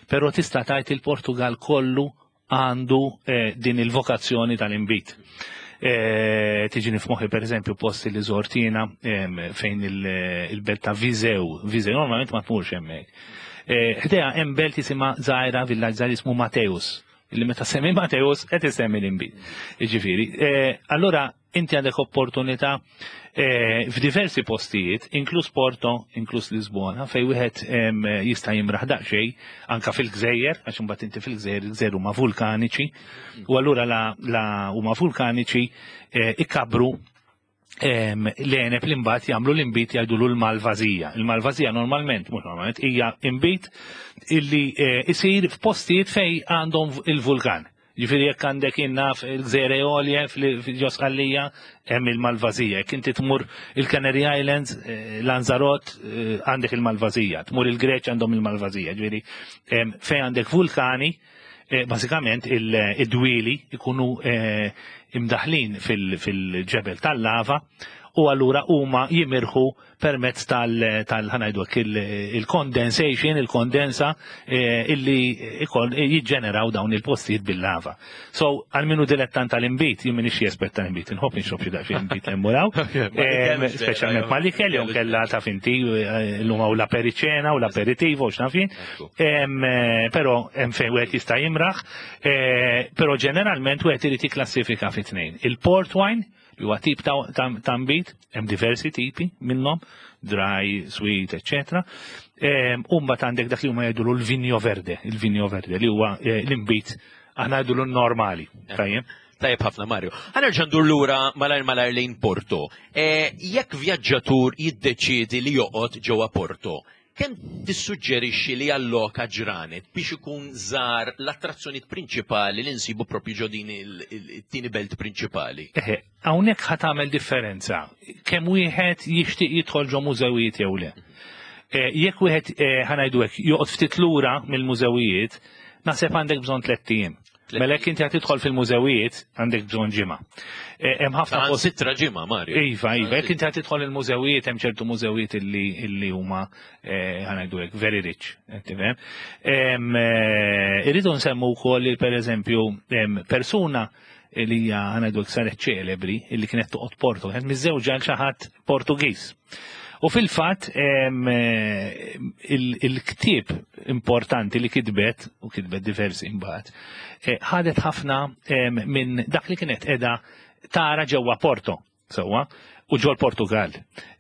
però tista' tgħid il-Portugal kollu għandu eh, din il-vokazzjoni tal-inbid. Eh, Tiġini f'moħħi per eżempju posti li żort jiena em, fejn il- il-belt ta' Viseu, Viseu normalment ma tmurx hemmhekk. Eh, Ħdejha hemm belt jisimha żgħira villaġġ żgħir jismu Mateus, illi meta semmi Mateus qed isemmi l-inbid. Jiġifieri, eh, allura inti għandek opportunità eh, f'diversi postijiet, inkluż Porto, inkluż Lisbona, fej wieħed em, jista' jimraħ daqsxejn anka fil-gżejjer, għax imbagħad inti fil-gżejjer, il-gżejjer huma vulkaniċi, u allura la, la huma vulkaniċi eh, ikabru em, l-għeneb li mbagħad jagħmlu l-inbid jgħidulu l-Malvazija. Il-Malvazija normalment, mhux normalment, hija inbid illi eh, isir f'postijiet fej għandhom il-vulkan. Ġifieri jekk għandek innaf il-Gżejjer Eolje fil-ġo Sqallija, hemm il-Malvazija. Jekk inti tmur il-Canary Islands, eh, Lanzarote, eh, għandek il-Malvazija. Tmur il-Greċ għandhom il-Malvazija. Ġifieri em, fejn għandek vulkani, eh, basikament il-dwieli ikunu eh, imdaħlin fil- fil-ġebel tal-lava u allura huma jimirħu permezz tal tal ħa ngħidu hekk il-condensation, il-kondensa eh, illi ikon jiġġeneraw dawn il-postijiet bil-lava. So, għal minu dilettant tal-inbid, jien minix espert tal-inbid, inħobb nixrob xi daqsxejn inbid emmuraw, speċjalment mal-ikel, jew kella ta' finti l-lum u l-apericena u l-aperitivo, x'naf jien. Em, eh, Però hemm fejn wieħed jista' jimraħ, eh, però ġeneralment wieħed irid jikklassifika fi tnejn. Il-port wine, li huwa tip ta' ta' ta' nbid, hemm diversi tipi minnhom, dry, sweet, eccetera. U mbagħad għandek dak li huma jgħidulu l-vinho verde, il-vinho verde li huwa eh, l-inbid aħna ngħidulu normali. Tajjeb?
Tajjeb ħafna, Mario. Ħa nerġa' ndur lura malajr malajr lejn Porto. Eh, Jekk vjaġġatur jiddeċiedi li joqgħod ġewwa Porto, kemm tissuġġerixxi li alloka ġranet biex ikun żar l-attrazzjonijiet prinċipali li nsibu propju ġo din il-tieni belt prinċipali?
Eħe, hawnhekk ħa tagħmel differenza kemm wieħed jixtieq jidħol ġo mużewijiet jew le. Eh, Jekk wieħed eh, ħa ngħidu hekk joqgħod ftit lura mill-mużewijiet, naħseb għandek bżonn tlett ijiem. Mela jekk inti qed tidħol fil-mużewijiet għandek bżonn ġimgħa. Eh, Hemm ħafna
Għan
post
sitra ġimgħa, Mario.
Iva, iva, jekk inti qed tidħol il-mużewijiet, hemm ċertu mużewijiet illi illi huma eh, ħa ngħidu hekk very rich, qed tifhem. Em, eh, Irridu nsemmu wkoll li pereżempju em, persuna li hija ħa ngħidu hekk saret ċelebri illi kienet toqgħod Porto, kienet miżżewġa għal xi ħadd Portugiż. U fil-fatt em, eh, il- il-ktieb importanti li kitbet, u kitbet diversi imbagħad, eh, ħadet ħafna em, minn dak li kienet qiegħda tara ġewwa Porto, sewwa, u ġol Portugal.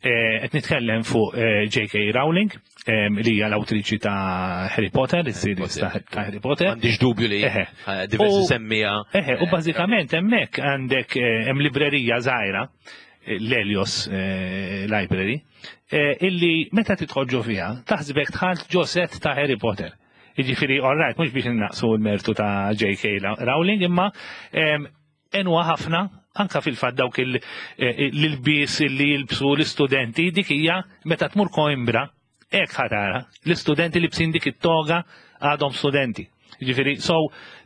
Eh, Qed nitkellem fuq eh, J K. Rowling, em, li hija l-awtriċi ta' Harry Potter, is-series ta' ta' Harry Potter.
M'għandix dubju li
Eħe.
eh, diversi
U-
semmija.
Eħe, u bażikament hemmhekk għandek eh, hemm librerija żgħira, eh, l-Helios eh, Library, eh, illi meta tidħol ġo fiha, taħsbek dħalt ġo set ta' Harry Potter. Jiġifieri, all right, mhux biex innaqsu l-mertu ta' J K. Rowling, imma em, enwa ħafna anka fil-fatt dawk il- eh, l-ilbies li jilbsu l-istudenti, dik hija meta tmur Coimbra, hekk ħa tara, l-istudenti libsin dik it-toga għadhom studenti. Ġifieri, so,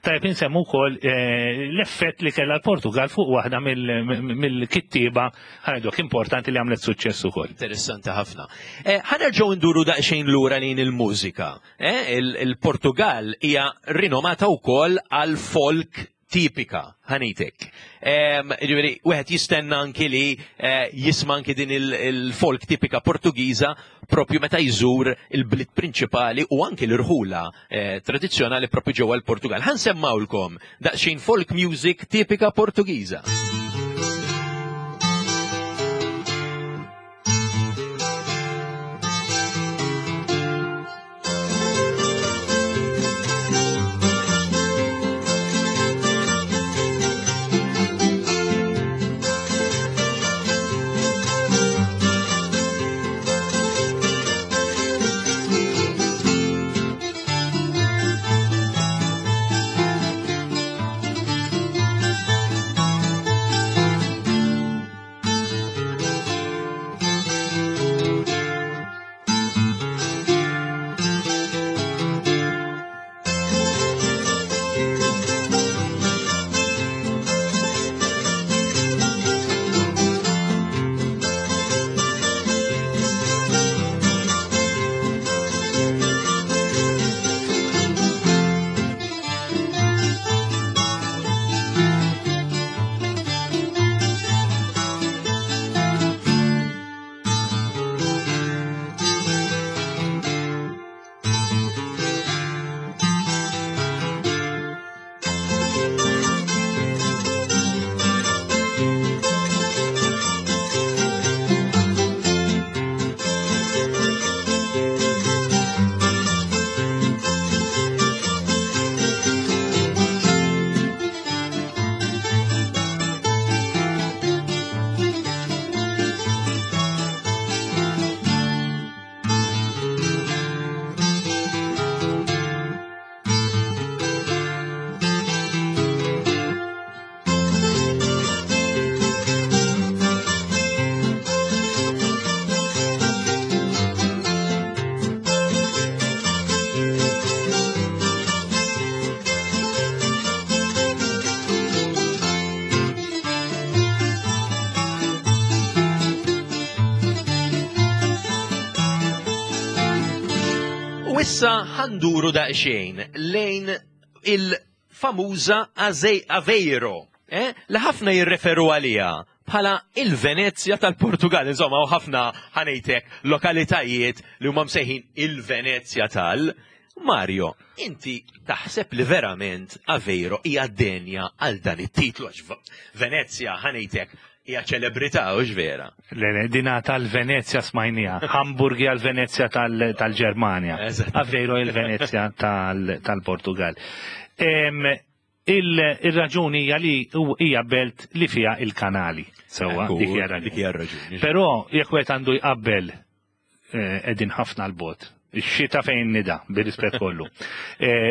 tajb insemmu wkoll eh, l-effett li kellha l-Portugal fuq waħda mill-kittiba ħa ngħidu importanti li għamlet suċċess ukoll.
Interessanti ħafna. Eh, Ħa nerġgħu nduru daqsxejn lura lejn il-mużika. Eh, il- Il-Portugal hija rinomata wkoll għal folk tipika, ħanitek. Ġifieri, wieħed jistenna anki li eh, jisma' anki din il- il-folk tipika Portugiża propju meta jżur il-bliet prinċipali u anki l-irħula eh, tradizzjonali propju ġewwa l-Portugal. Ħa nsemmgħulkom daqsxejn folk music tipika Portugiża. issa ħa nduru daqsxejn lejn il-famuża Aveiro, eh? Li ħafna jirreferu għalija bħala il-Venezja tal-Portugal. Insomma, u ħafna, ħa ngħidlek, lokalitajiet li huma msejħin il-Venezja tal. Mario, inti taħseb li verament Aveiro hija denja għal dan it-titlu, għax Venezja, ħa ngħidlek, hija ċelebrità, u vera?
Le, le, dina tal-Venezja smajnieha. Hamburg hija l-Venezja tal-Ġermanja. Aveiro il-Venezja tal-Portugal. Il-raġuni hija li hija belt li fiha il-kanali. Sewwa, dik hija raġuni. Però jekk wieħed għandu jqabbel, qegħdin ħafna 'l bogħod. Ix-xita fejn nida, bir-rispett kollu.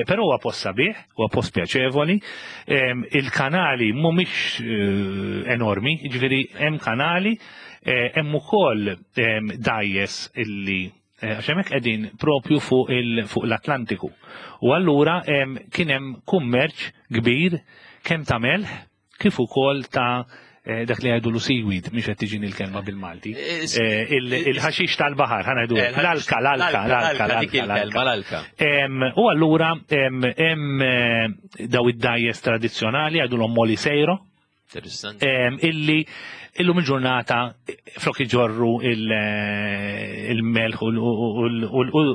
Però huwa post sabiħ, huwa post pjaċevoli. Il-kanali mhumiex enormi, jiġifieri hemm kanali, hemm ukoll dgħajjes illi għax hemmhekk qegħdin propju fuq l-Atlantiku. U allura kien hemm kummerċ kbir kemm ta' melħ kif ukoll ta' dak li jgħidu seaweed, mhix qed tiġini l-kelma bil-Malti. Il-ħaxix tal-baħar, ħa ngħidu. L-alka, l-alka, l-alka, l-alka.
L-alka.
U allura hemm daw id-dgħajjes tradizzjonali, jgħidulhom moliceiro. Illi illum il-ġurnata flok iġorru il-melħ u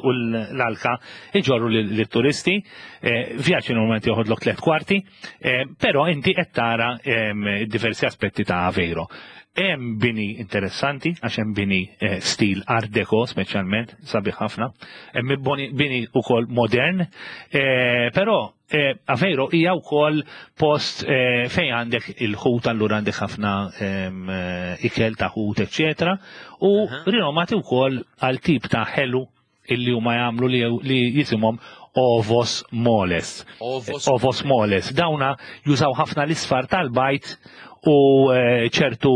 l-alka, iġorru l-turisti, vjaġġ normalment joħodlok tliet kwarti, però inti qed tara diversi aspetti ta' Aveiro. Hemm bini interessanti, għax hemm bini stil Art Deco speċjalment, sabiħ ħafna, hemm bini ukoll modern, però Aveiro hija wkoll post fejn għandek il-ħut, allura għandek ħafna ikel ta' ħut, eċetera, u rinomati wkoll għal tip ta' ħelu illi huma jagħmlu li jisimhom ovos moles. Ovos moles. Dawna jużaw ħafna l-isfar tal-bajd u ċertu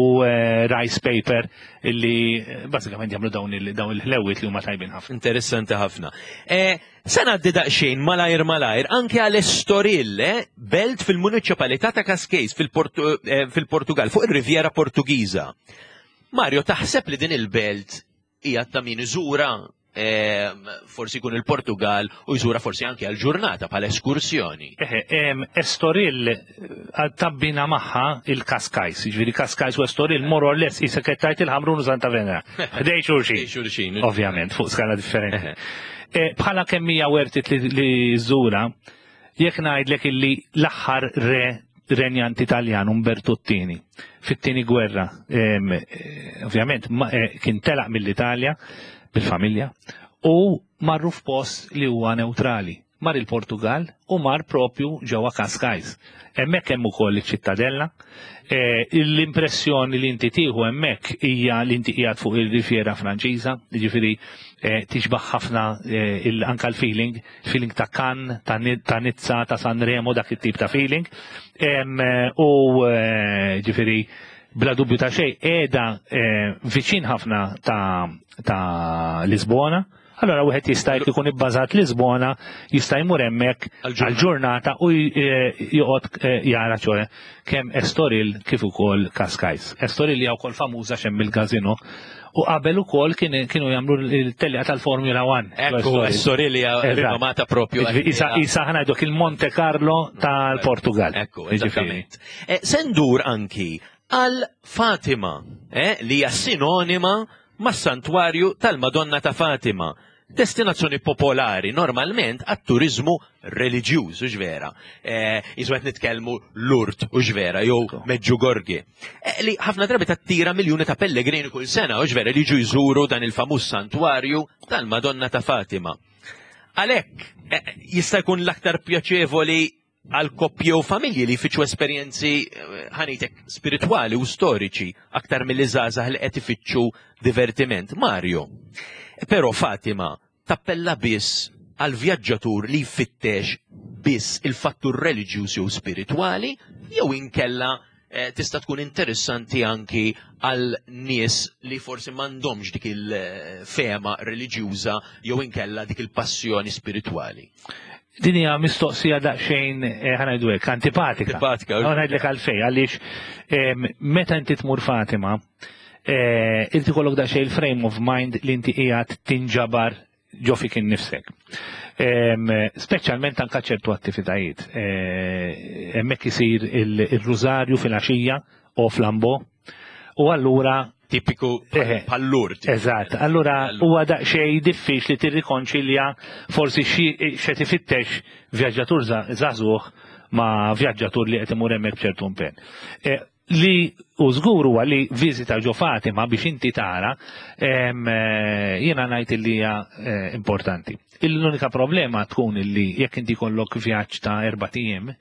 rice paper illi basikament jagħmlu dawn il-ħlewiet li huma tajbin ħafna.
Interessanti ħafna. Se ngħaddi daqsxejn malajr malajr anke għal Estoril, belt fil-Municipalità ta' Cascais fil-Portugal, fuq ir-Riviera Portugiża. Mario, taħseb li din il-belt hija ta' min iżura, forsi jkun il-Portugal u jżura forsi anke għal ġurnata bħala eskursjoni?
Estoril tabbina magħha il-Cascais, jiġifieri Cascais u Estoril more or less qisek qed tgħid il-Ħamrun u Santa Venera. Ħdejn xulxin. Ovvjament, fuq skala differenti. Bħala kemm hija worth it li żura, jekk ngħidlek illi l-aħħar re renjant Italjan Umberto Ottini fit-tieni gwerra, ovvjament kien telaq mill-Italja bil-familja u marru f'post li huwa neutrali. Mar il-Portugal u mar propju ġewwa Cascais. Hemmhekk hemm ukoll iċ-ċittadella. L-impressjoni li inti tieħu hemmhekk hija li inti qiegħed fuq il-Riviera Franċiża, jiġifieri tixbaħ ħafna anka l-feeling, feeling ta' Cannes, ta' Nizza, ta' Sanremo, dak it-tip ta' feeling. U ġifieri bla dubju ta' xejn qiegħda viċin ħafna ta' Lisbona. Allora wieħed jista' jekk ikun ibbażat Lisbona, jista' jmur hemmhekk għal-ġurnata u joqgħod jara ċoe kemm Estoril kif ukoll Cascais. Estoril hija wkoll famuża x'hemm il-gazino u qabel ukoll kienu jagħmlu l-tellieqa tal-Formula One.
Ekku, Estoril hija rinomata propju.
Isa ħa ngħiduk il-Monte Carlo tal-Portugal.
Ekku, eżattament. Se ndur anki għal Fatima, li hija sinonima mas-santwarju tal-Madonna ta' Fatima. Destinazzjoni popolari normalment għat-turizmu reliġjuż, u vera. Isu qed nitkellmu Lourdes, u vera, jew Medjugorje. Li ħafna drabi tattira miljuni ta' pellegrini kull sena, u vera, li jiġu jżuru dan il-famuż santwarju tal-Madonna ta' Fatima. Għalhekk jista' jkun l-aktar pjaċevoli għal koppji u familji li jfittxu esperjenzi, ħa ngħidlek, spiritwali u storiċi aktar mill żgħażagħ li qed ifittxu divertiment. Mario, però Fatima tappella biss għal vjaġġatur li jfittex biss il-fattur reliġjuż jew spiritwali, jew inkella tista' tkun interessanti anki għal nies li forsi m'għandhomx dik il-fema reliġjuża jew inkella dik il-passjoni spiritwali?
Din hija mistoqsija daqsxejn, ħa ngħidu hekk, antipatika.
Antipatika.
Ħa ngħidlek għalfejn, għaliex meta inti tmur Fatima, inti kollok daqsxejn il-frame of mind li inti qiegħed tinġabar ġo fik innifsek. Em, Speċjalment anka ċertu attivitajiet. Eh, Hemmhekk isir il- il-rużarju fil-għaxija o flambo u allura
Tipiku
Eħe.
pallur.
Eżatt, allura huwa daqsxejn diffiċli tirrikonċilja forsi xi x'qed ifittex vjaġġatur żagħżugħ ma' vjaġġatur li qed imur hemmhekk b'ċertu impenn. Eh, Li u żgur huwa li viżita ġo Fatima biex inti tara, em, eh, jiena ngħid li hija eh, importanti. L-unika problema tkun illi jekk inti kollok vjaġġ ta' erbat ijiem,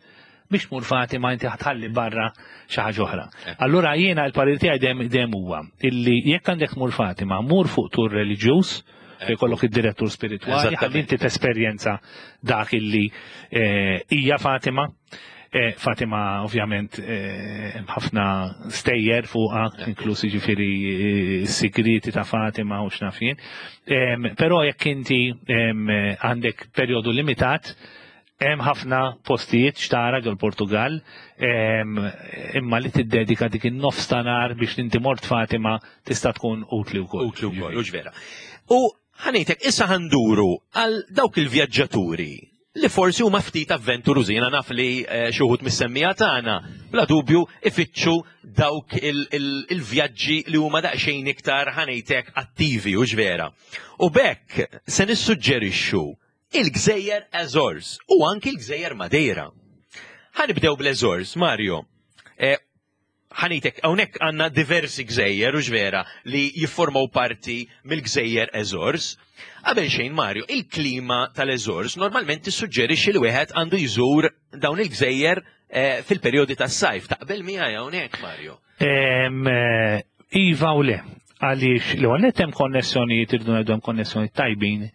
biex tmur Fatima inti ħa tħalli barra xi ħaġa oħra. Allura jiena l-parir tiegħi dejjem dejjem huwa illi jekk għandek tmur Fatima, mur fuq tur reliġjuż fejn jkollok id-direttur spiritwali, ħalli inti tesperjenza dak illi eh, hija Fatima. Eh, Fatima ovvjament eh, hemm ħafna stejjer fuqha, inklusi ġifieri eh, sigriti ta' Fatima u x'naf jien. Em, Però jekk inti em, għandek perjodu limitat, hemm ħafna postijiet x'tara ġol Portugal, em, imma li tiddedika dik in-nofs ta' nhar biex inti mort Fatima tista' tkun utli wkoll.
Utli wkoll, u vera. U ħa ngħidlek, issa ħa nduru għal dawk il-vjaġġaturi li forsi huma ftit avventurużi. Jiena naf li eh, xi wħud mis-semmiegħa tagħna bla dubju ifittxu dawk il- il- il-vjaġġi li huma daqsxejn iktar, ħa ngħidlek, attivi u vera. U b'hekk se nissuġġerixxu il-Gżejjer Azores u anki l-Gżejjer Madeira. Ħa nibdew bl-Azores, Mario. Eh, ħa ngħidlek, hawnhekk għandna diversi gżejjer u vera li jiffurmaw parti mill-Gżejjer Azores. Qabel xejn, Mario, il-klima tal-Azores normalment tissuġġerixxi li wieħed għandu jżur dawn il-gżejjer eh, fil-perjodi tas-sajf. Taqbel miegħi hawnhekk, Mario?
Em, eh, Iva u le, għaliex li għalhekk hemm konnessjonijiet, irridu ngħidu hemm konnessjonijiet tajbin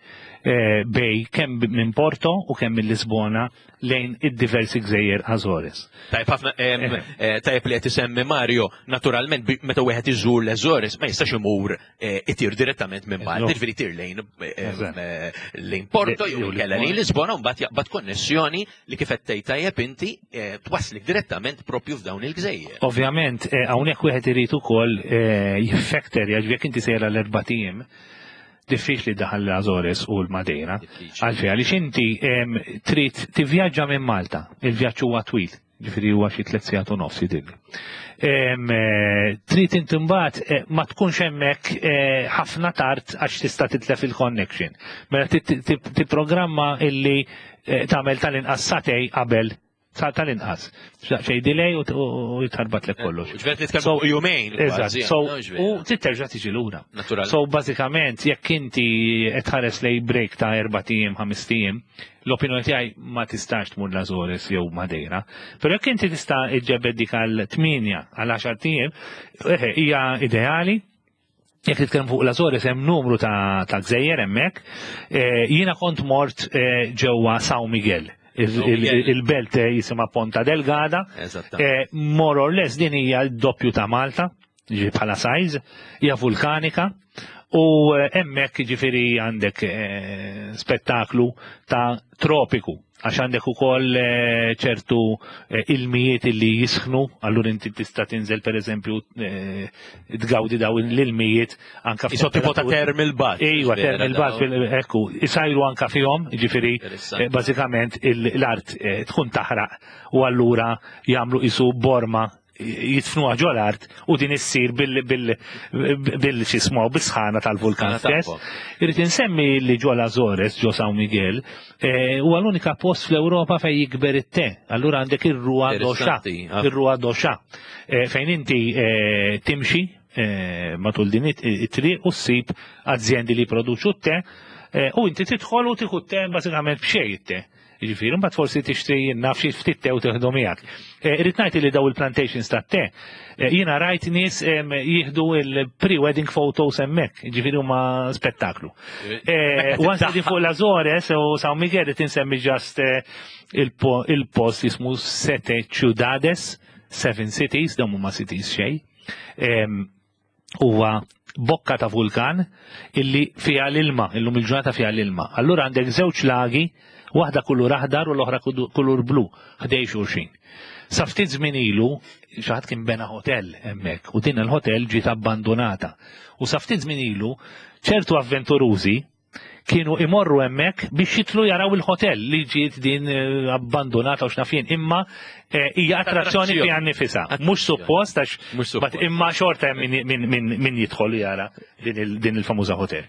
eh, bejn kemm minn Porto u kemm minn Lisbona lejn id-diversi gżejjer Azores.
Tajb ħafna, em, eh, tajb li qed isemmi Mario, naturalment bi- meta wieħed iżur l-Azores ma jistax imur eh, itir direttament minn Malta,
No.
ġifieri itir lejn eh,
Eżatt.
eh, lejn Porto jew
Jew
inkella lejn Lisbona u mbagħad jaqbad konnessjoni li kif qed tgħid tajjeb inti eh, twaslik direttament propju f'dawn il-gżejjer.
Ovvjament, eh, hawnhekk wieħed irid ukoll eh, jiffekterja, ġifieri jekk inti sejra l-erbat ijiem, diffiċli daħal l-Azores u l-Madeira.
Diffiċli.
Għalfej, għaliex inti em, trid tivvjaġġa minn Malta, il-vjaġġ huwa twil, ġifieri huwa xi tliet sigħat u nofs jidhirli. Em, eh, Trid inti mbagħad eh, ma tkunx hemmhekk eh, ħafna tard għax tista' titlef il-connection. Mela tit- tit- tipprogramma illi eh, tagħmel tal-inqas sagħtejn qabel sa tal-inqas. Xej delay u u jitħarbatlek kollox.
Ġifieri nitkellmu
So-
jumejn.
Eżatt,
kważi,
so,
no, ġvera.
u trid terġa' tiġi lura.
Naturalment.
So bażikament jekk inti qed tħares lej break ta' erbat ijiem, ħamest ijiem, l-opinjoni tiegħi ma tistax tmur l-Azores jew Madeira. Però jekk inti tista' iġġebed dik għal tmienja għal għaxart ijiem, eħe, hija ideali. Jekk titkellem fuq l-Azores hemm numru ta' ta' gżejjer hemmhekk. Eh, Jiena kont mort eh, ġewwa São Miguel. Il-
São
il-
Miguel.
Il-belt eh, jisimha Ponta Delgada.
Eżattament.
Eh, more or less din hija d-doppju ta' Malta, ġi bħala size, hija vulkanika u eh, hemmhekk ġifieri għandek eh, spettaklu ta' tropiku għax għandek ukoll eh, ċertu eh, ilmijiet illi jisħnu, allura inti tista' tinżel pereżempju eh, tgawdi daw l-ilmijiet anka
Iso tipo ta'
f'temperaturi-
thermal bath.
Iva,
Vera,
thermal bath,
daw.
fil- ekku, isajru anka fihom, ġifieri,
Interessanti.
eh, bażikament il- l-art eh, tkun taħraq u allura jagħmlu isu borma jitfnuha ġol art u din issir bil bil bil xismu bis-sħana tal-vulkan
Sħana
stess.
tagħhom.
Irrid insemmi li ġol Azores, ġo San Miguel, eh, huwa l-unika post fl-Ewropa fejn jikber it-te. Allura għandek ir-Rua do Chá,
Interessanti, ah.
ir-Rua do Chá, eh, fejn inti eh, timxi eh, matul din it- it-triq u ssib azjendi li produċu t-te eh, u inti tidħol u tieħu t-te bażikament b'xejn it-te. Ġifieri, mbagħad forsi tixtri naf xi ftit te u tieħdu miegħek. Eh, Irrid ngħid li daw il-plantations tat-te, eh, jiena rajt nies em, jieħdu il-pre-wedding photos hemmhekk, ġifieri huma spettaklu. Eh, U anke fuq l-Azores u San Miguel qed insemmi just eh, il-po- il-post jismu Sete Ciudades, Seven Cities, dawn huma cities xejn. Em, Huwa bokka ta' vulkan illi fiha l-ilma, illum il-ġurnata fiha l-ilma. Allura għandek żewġ lagi, waħda kulur aħdar u l-oħra kudu- kulur blu, ħdejn xulxin. Sa ftit żmien ilu, xi ħadd kien bena hotel hemmhekk u din il-hotel ġiet abbandonata. U sa ftit żmien ilu, ċertu avventurużi kienu imorru hemmhekk biex jitlu jaraw il-hotel li ġiet din eh, abbandonata u x'naf jien, imma eh, hija attrazzjoni fiha nnifisha. Mhux suppost għax
Mhux suppost.
but imma xorta hemm min, min, min, min jidħol jara din il- din il-famuża hotel.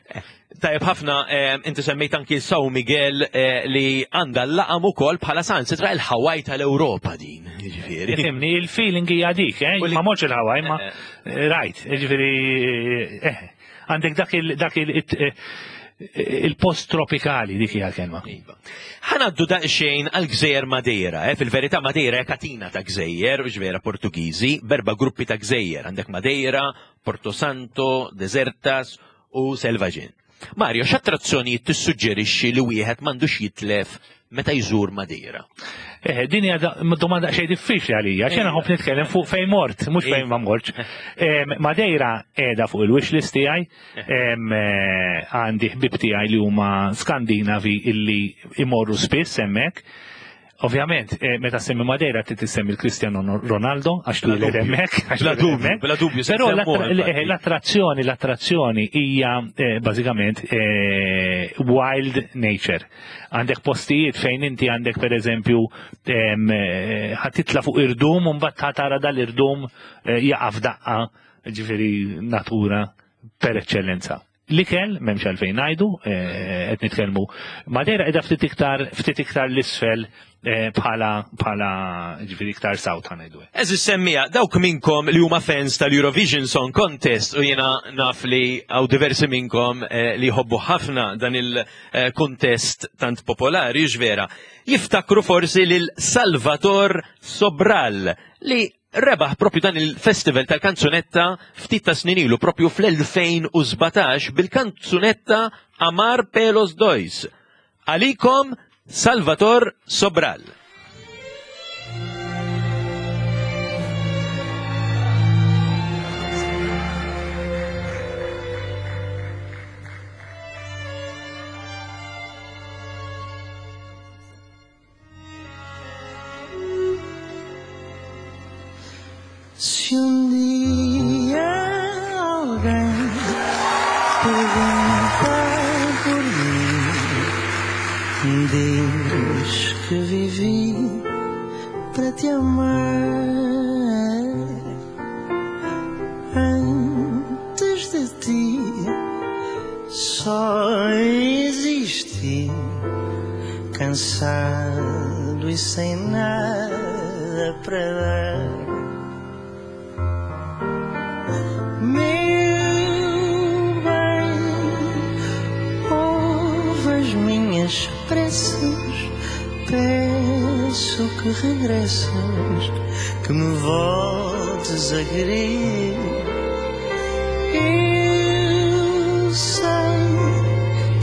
Tajjeb ħafna, eh, inti semmejt anki São Miguel eh, li għandha l-laqam ukoll bħala sansitra il-Hawaii tal-Ewropa din, jiġifieri.
Ifhimni, il-feeling hija dik, eh?
U li-
Ma mortx il-Hawaii, ma rajt, ġifieri, eh, għandek dak il- dak il- it- eh, il-post tropikali dik hija l-kelma.
Iva. Ħa ngħaddu daqsxejn għal gżejjer Madeira, eh? Fil-verità Madeira hija katina ta' gżejjer, u vera Portugiżi, berba gruppi ta' gżejjer, għandek Madeira, Porto Santo, Desertas u Selvagem. Mario, x'attrazzjonijiet tissuġġerixxi li wieħed m'għandux jitlef meta jżur Madeira?
Eh, din hija da- domanda xejn diffiċli għalija, xejn nħobb nitkellem fuq fejn mort, mhux fejn ma mortx. Em, Madeira qiegħda fuq il-wish list tiegħi, em, eh, għandi ħbib tiegħi li huma Skandinavi illi imorru spiss hemmhekk. Ovvjament, eh, meta semmi Madeira trid tissemmi il-Cristiano Ronaldo għax
Bla
twieled
dubju.
hemmhekk. għax
Bla
twieled
dubju,
hemmhekk.
bla dubju, se
Però
nsemmuha,
l-attra-
infatti.
l-attrazzjoni, l-attrazzjoni hija eh, bażikament eh, wild nature. Għandek postijiet fejn inti għandek per eżempju em, eh, ħa titla' fuq irdum u mbagħad ħa tara dal-irdum eh, jaqa' f'daqqa, ġifieri natura per eccellenza. L-ikel, m'hemmx għalfejn ngħidu, eh, qed nitkellmu. Madeira qiegħda ftit iktar ftit iktar l-isfel eh, bħala bħala ġifieri iktar south ħa ngħidu.
Għeżież semmiegħa, dawk minnkom li huma fans tal-Eurovision Song Contest u jiena naf li hawn diversi minnkom eh, li jħobbu ħafna dan il-contest tant popolari, vera, jiftakru forsi lil Salvador Sobral li rebaħ propju dan il-festival tal-kanzunetta ftit ta' snin ilu propju fl-elfejn u sbatax bil-kanzunetta Amar Pelos Dois. Għalikom Salvador Sobral.
Se um dia alguém perguntar por mim, diz que vivi para te amar. Antes de ti só existi, cansado e sem nada para dar. Meu bem, ouve as minhas preces, peço que regresses, que me voltes a querer. Eu sei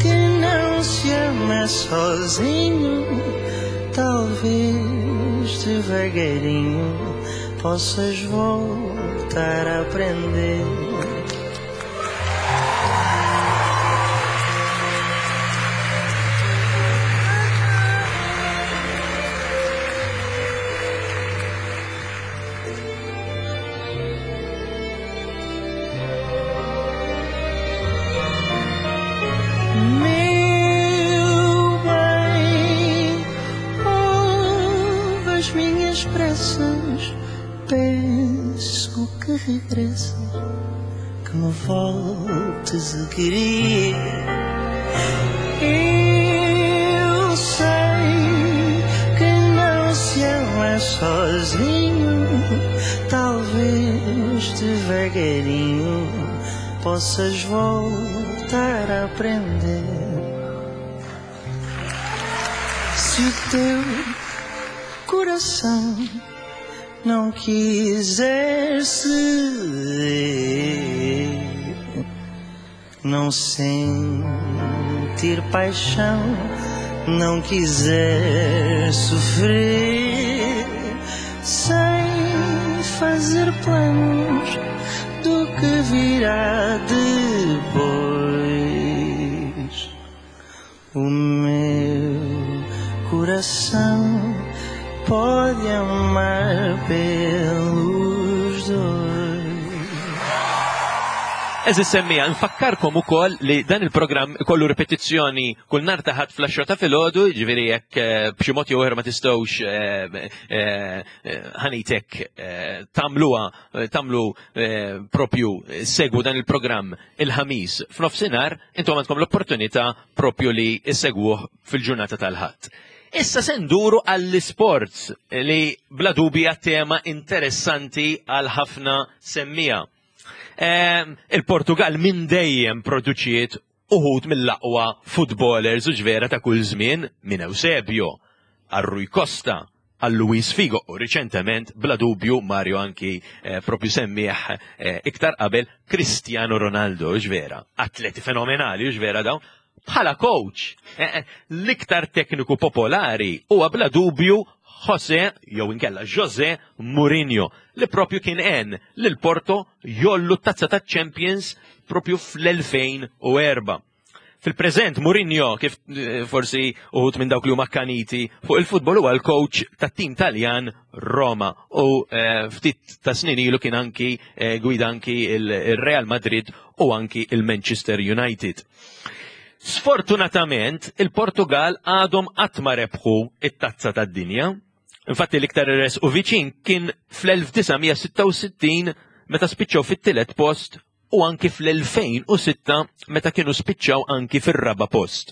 que não se ama sozinho, talvez devagarinho possas voltar a aprender. Meu bem, ouve as minhas preces, peço que regresses, que me voltes a querer. Eu sei que não se ama sozinho, talvez devagarinho possas voltar a aprender. Se o teu coração não quiser ceder, não sentir paixão, não quiser sofrer, sem fazer planos do que virá depois, o meu coração pode amar pelos dois.
Għeżież semmiegħa, nfakkarkom ukoll li dan il-programm kollu ripetizzjoni kull nhar ta' Ħadd fl-għaxra ta' filgħodu, ġifieri jekk eh, b'xi mod jew ieħor ma tistgħux eh, eh, ħanitek tagħmluha tagħmlu propju segwu dan il-programm il-Ħamis f'nofsinhar, intom għandkom l-opportunità propju li issegwuh fil-ġurnata tal-Ħadd. Issa se nduru għall-sports li bla dubju tema interessanti għal ħafna semmiegħa. Il-Portugal minn dejjem produċiet uħud mill-aqwa footballers u ġvera ta' kull żmien, minn Eusebio, għal Rui Costa, għal Luis Figo u riċentement, bla dubju, Mario anki eh, propju semmih eh, iktar qabel, Cristiano Ronaldo, ġvera, atleti fenomenali, ġvera dawn. Bħala coach, eh, l-iktar tekniku popolari huwa bla dubju Jose, jew inkella Jose Mourinho, li propju kien għen lil Porto jgħollu tazza ta' Champions propju fl-elfejn u erbgħa. Fil-preżent Mourinho, kif eh, forsi uħud minn dawk li huma akkaniti fuq il-futbol, huwa l-coach tat-tim Taljan Roma u eh, ftit ta' snin ilu kien anki eh, gwida anki il-Real Madrid u anki il-Manchester United. Sfortunatament, il-Portugal għadhom qatt ma rebħu it-tazza tad-dinja. Infatti l-iktar resqu viċin kien fl-elf disa' mija sitta u sittin meta spiċċaw fit-tielet post u anki fl-elfejn u sitta meta kienu spiċċaw anki fir-raba post.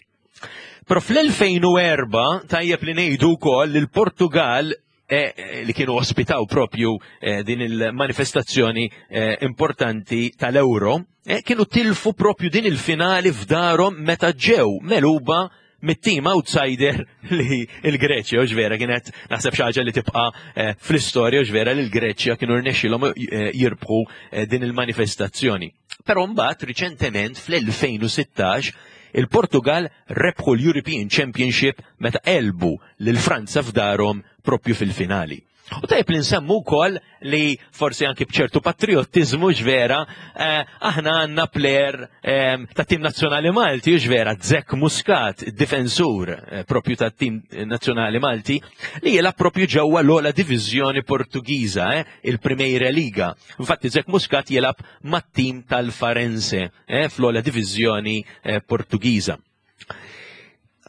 Però fl-elfejn u erbgħa tajjeb li ngħidu wkoll li l-Portugal eh, eh, li kienu ospitaw propju eh, din il-manifestazzjoni eh, importanti tal-Euro, eh, kienu tilfu propju din il-finali f'darhom meta ġew megħluba mit-team outsider li il-Greċja, u ġvera kienet naħseb xi ħaġa li tibqa' eh, fl-istorja, u ġvera li l-Greċja kienu rnexxilhom eh, jirbħu eh, din il-manifestazzjoni. Però mbagħad riċentement fl-elfejn u sittax il-Portugal rebħu l-European Championship meta għelbu lil Franza f'darhom propju fil-finali. U tajb li nsemmu wkoll li forsi anki bċertu patriotizmu ġvera, eh, aħna għandna player eh, ta' tim nazzjonali Malti, ġvera, Zach Muscat, difensur eh, propju ta' tim nazzjonali Malti, li jilgħab propju ġewwa l-ogħla diviżjoni Portugiża, eh, il-Primeira Liga. Infatti Zach Muscat jilgħab mat-tim tal-Farense eh, fl-ogħla diviżjoni eh, Portugiża.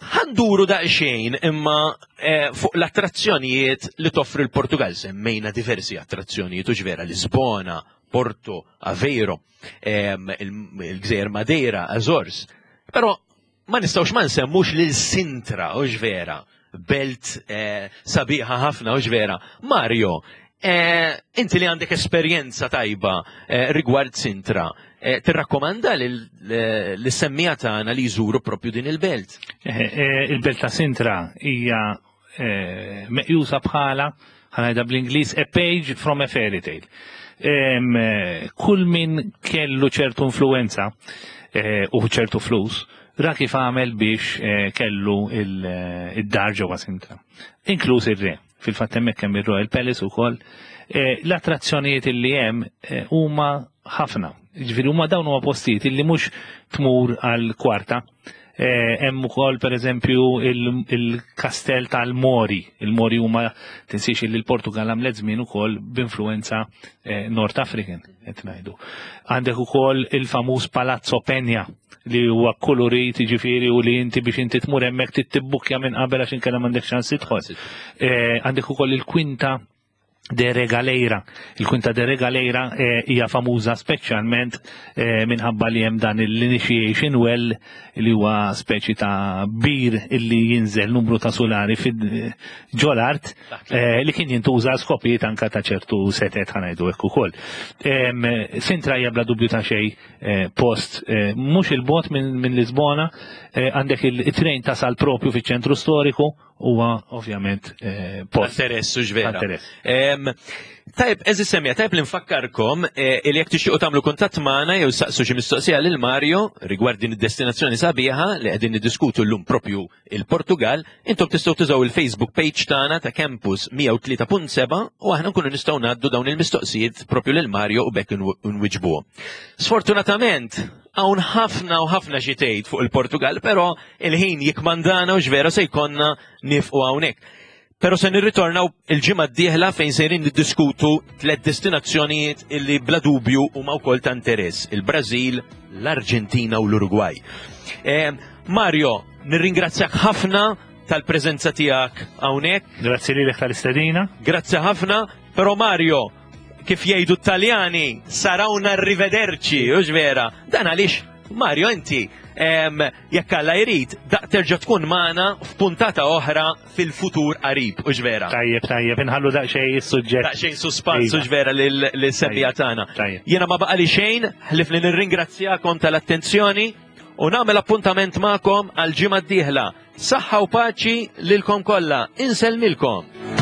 Ħa nduru daqsxejn imma eh, fuq l-attrazzjonijiet li toffri l-Portugal. Semmejna diversi attrazzjonijiet u ġvera Lisbona, Porto, Aveiro, em, il- il-Gżejjer Madeira, Azores. Però ma nistgħux ma nsemmux lil Sintra u ġvera, belt eh, sabiħa ħafna u ġvera. Mario, eh, inti li għandek esperjenza tajba eh, rigward Sintra, eh, tirrakkomanda lis-semmiegħa tagħna li jżuru propju din il-belt?
Eh, eh, Il-belt ta' Sintra hija eh, meqjusa bħala, ħa ngħidha bl-Ingliż, a page from a fairy tale. Em, eh, Kull min kellu ċertu influenza eh, u ċertu flus, ra kif għamel biex eh, kellu il- eh, id-dar ġewwa Sintra. Inkluż ir-re. Fil-fatt hemmhekk hemm ir-Royal Palace ukoll. Eh, L-attrazzjonijiet illi hemm eh, huma ħafna. Ġifieri huma dawn huma postijiet illi mhux tmur għal kwarta. Eh, Hemm ukoll pereżempju il- il-kastell tal-Mori. Il-Mori huma, tinsiex li l-Portugal għamlet żmien ukoll b'influenza eh, North African qed ngħidu. Għandek ukoll il-famuż Palazzo Penja li huwa kolorit, ġifieri, u li inti biex inti tmur hemmhekk trid tibbukkja minn qabel għax inkella m'għandek ċans tidħol. Eh, Għandek ukoll il-Quinta de Regaleira. Il-Quinta de Regaleira eh, hija famuża speċjalment eh, minħabba li hemm dan l-initiation well li huwa speċi ta' bir illi jinżel numru ta' sulari fid ġol-art eh, li kien jintuża skopijiet anka ta' ċertu setet, ħa ngħidu hekk ukoll. Em, Sintra hija bla dubju ta' xejn eh, post eh, mhux il-bogħod minn min Lisbona, eh, għandek il-trejn tasal propju fiċ-ċentru storiku, huwa ovvjament eh, post.
Interess u ġvera.
Interess.
Em, Tajb, għeżież semmiegħa, tajb li nfakkarkom eh, li jekk tixtiequ tagħmlu kuntatt magħna jew saqsu xi mistoqsija lil Mario rigward din id-destinazzjoni sabiħa li qegħdin niddiskutu llum, propju il-Portugal, intom tistgħu tużaw il-Facebook page tagħna ta' Campus mija u tlieta punt seba' u aħna nkunu nistgħu ngħaddu dawn il-mistoqsijiet propju lil Mario u bekk nwiġbuhom. Sfortunatament, hawn ħafna u ħafna xi tgħid fuq il-Portugal, però il-ħin jikmandana u ġvera se jkollna nieqfu hawnhekk. Pero se nirritornaw il-ġimgħa d-dieħla fejn sejrin niddiskutu tliet destinazzjonijiet illi bla dubju huma wkoll ta' interess: il-Brażil, l-Arġentina u l-Urugwaj. Eh, Mario, nirringrazzjak ħafna tal-preżenza tiegħek hawnhekk.
Grazzi lilek tal-istedina.
Grazzi ħafna, però Mario, kif jgħidu t-Taljani, sarà un arrivederci, hux vera? Dan għaliex, Mario, inti, em, jekk Alla jrid, daq terġa' tkun magħna f'puntata oħra fil-futur qarib, hux vera?
Tajjeb, tajjeb, inħallu daqsxejn is-suġġett.
Daqsxejn suspans,
Iva.
hux vera, lil-semmiegħa tagħna.
Tajjeb.
Jiena ma baqali xejn, ħlif li nirringrazzjakom tal-attenzjoni u nagħmel appuntament magħkom għal ġimgħa d-dieħla. Saħħa u paċi lilkom kollha. Insellmilkom.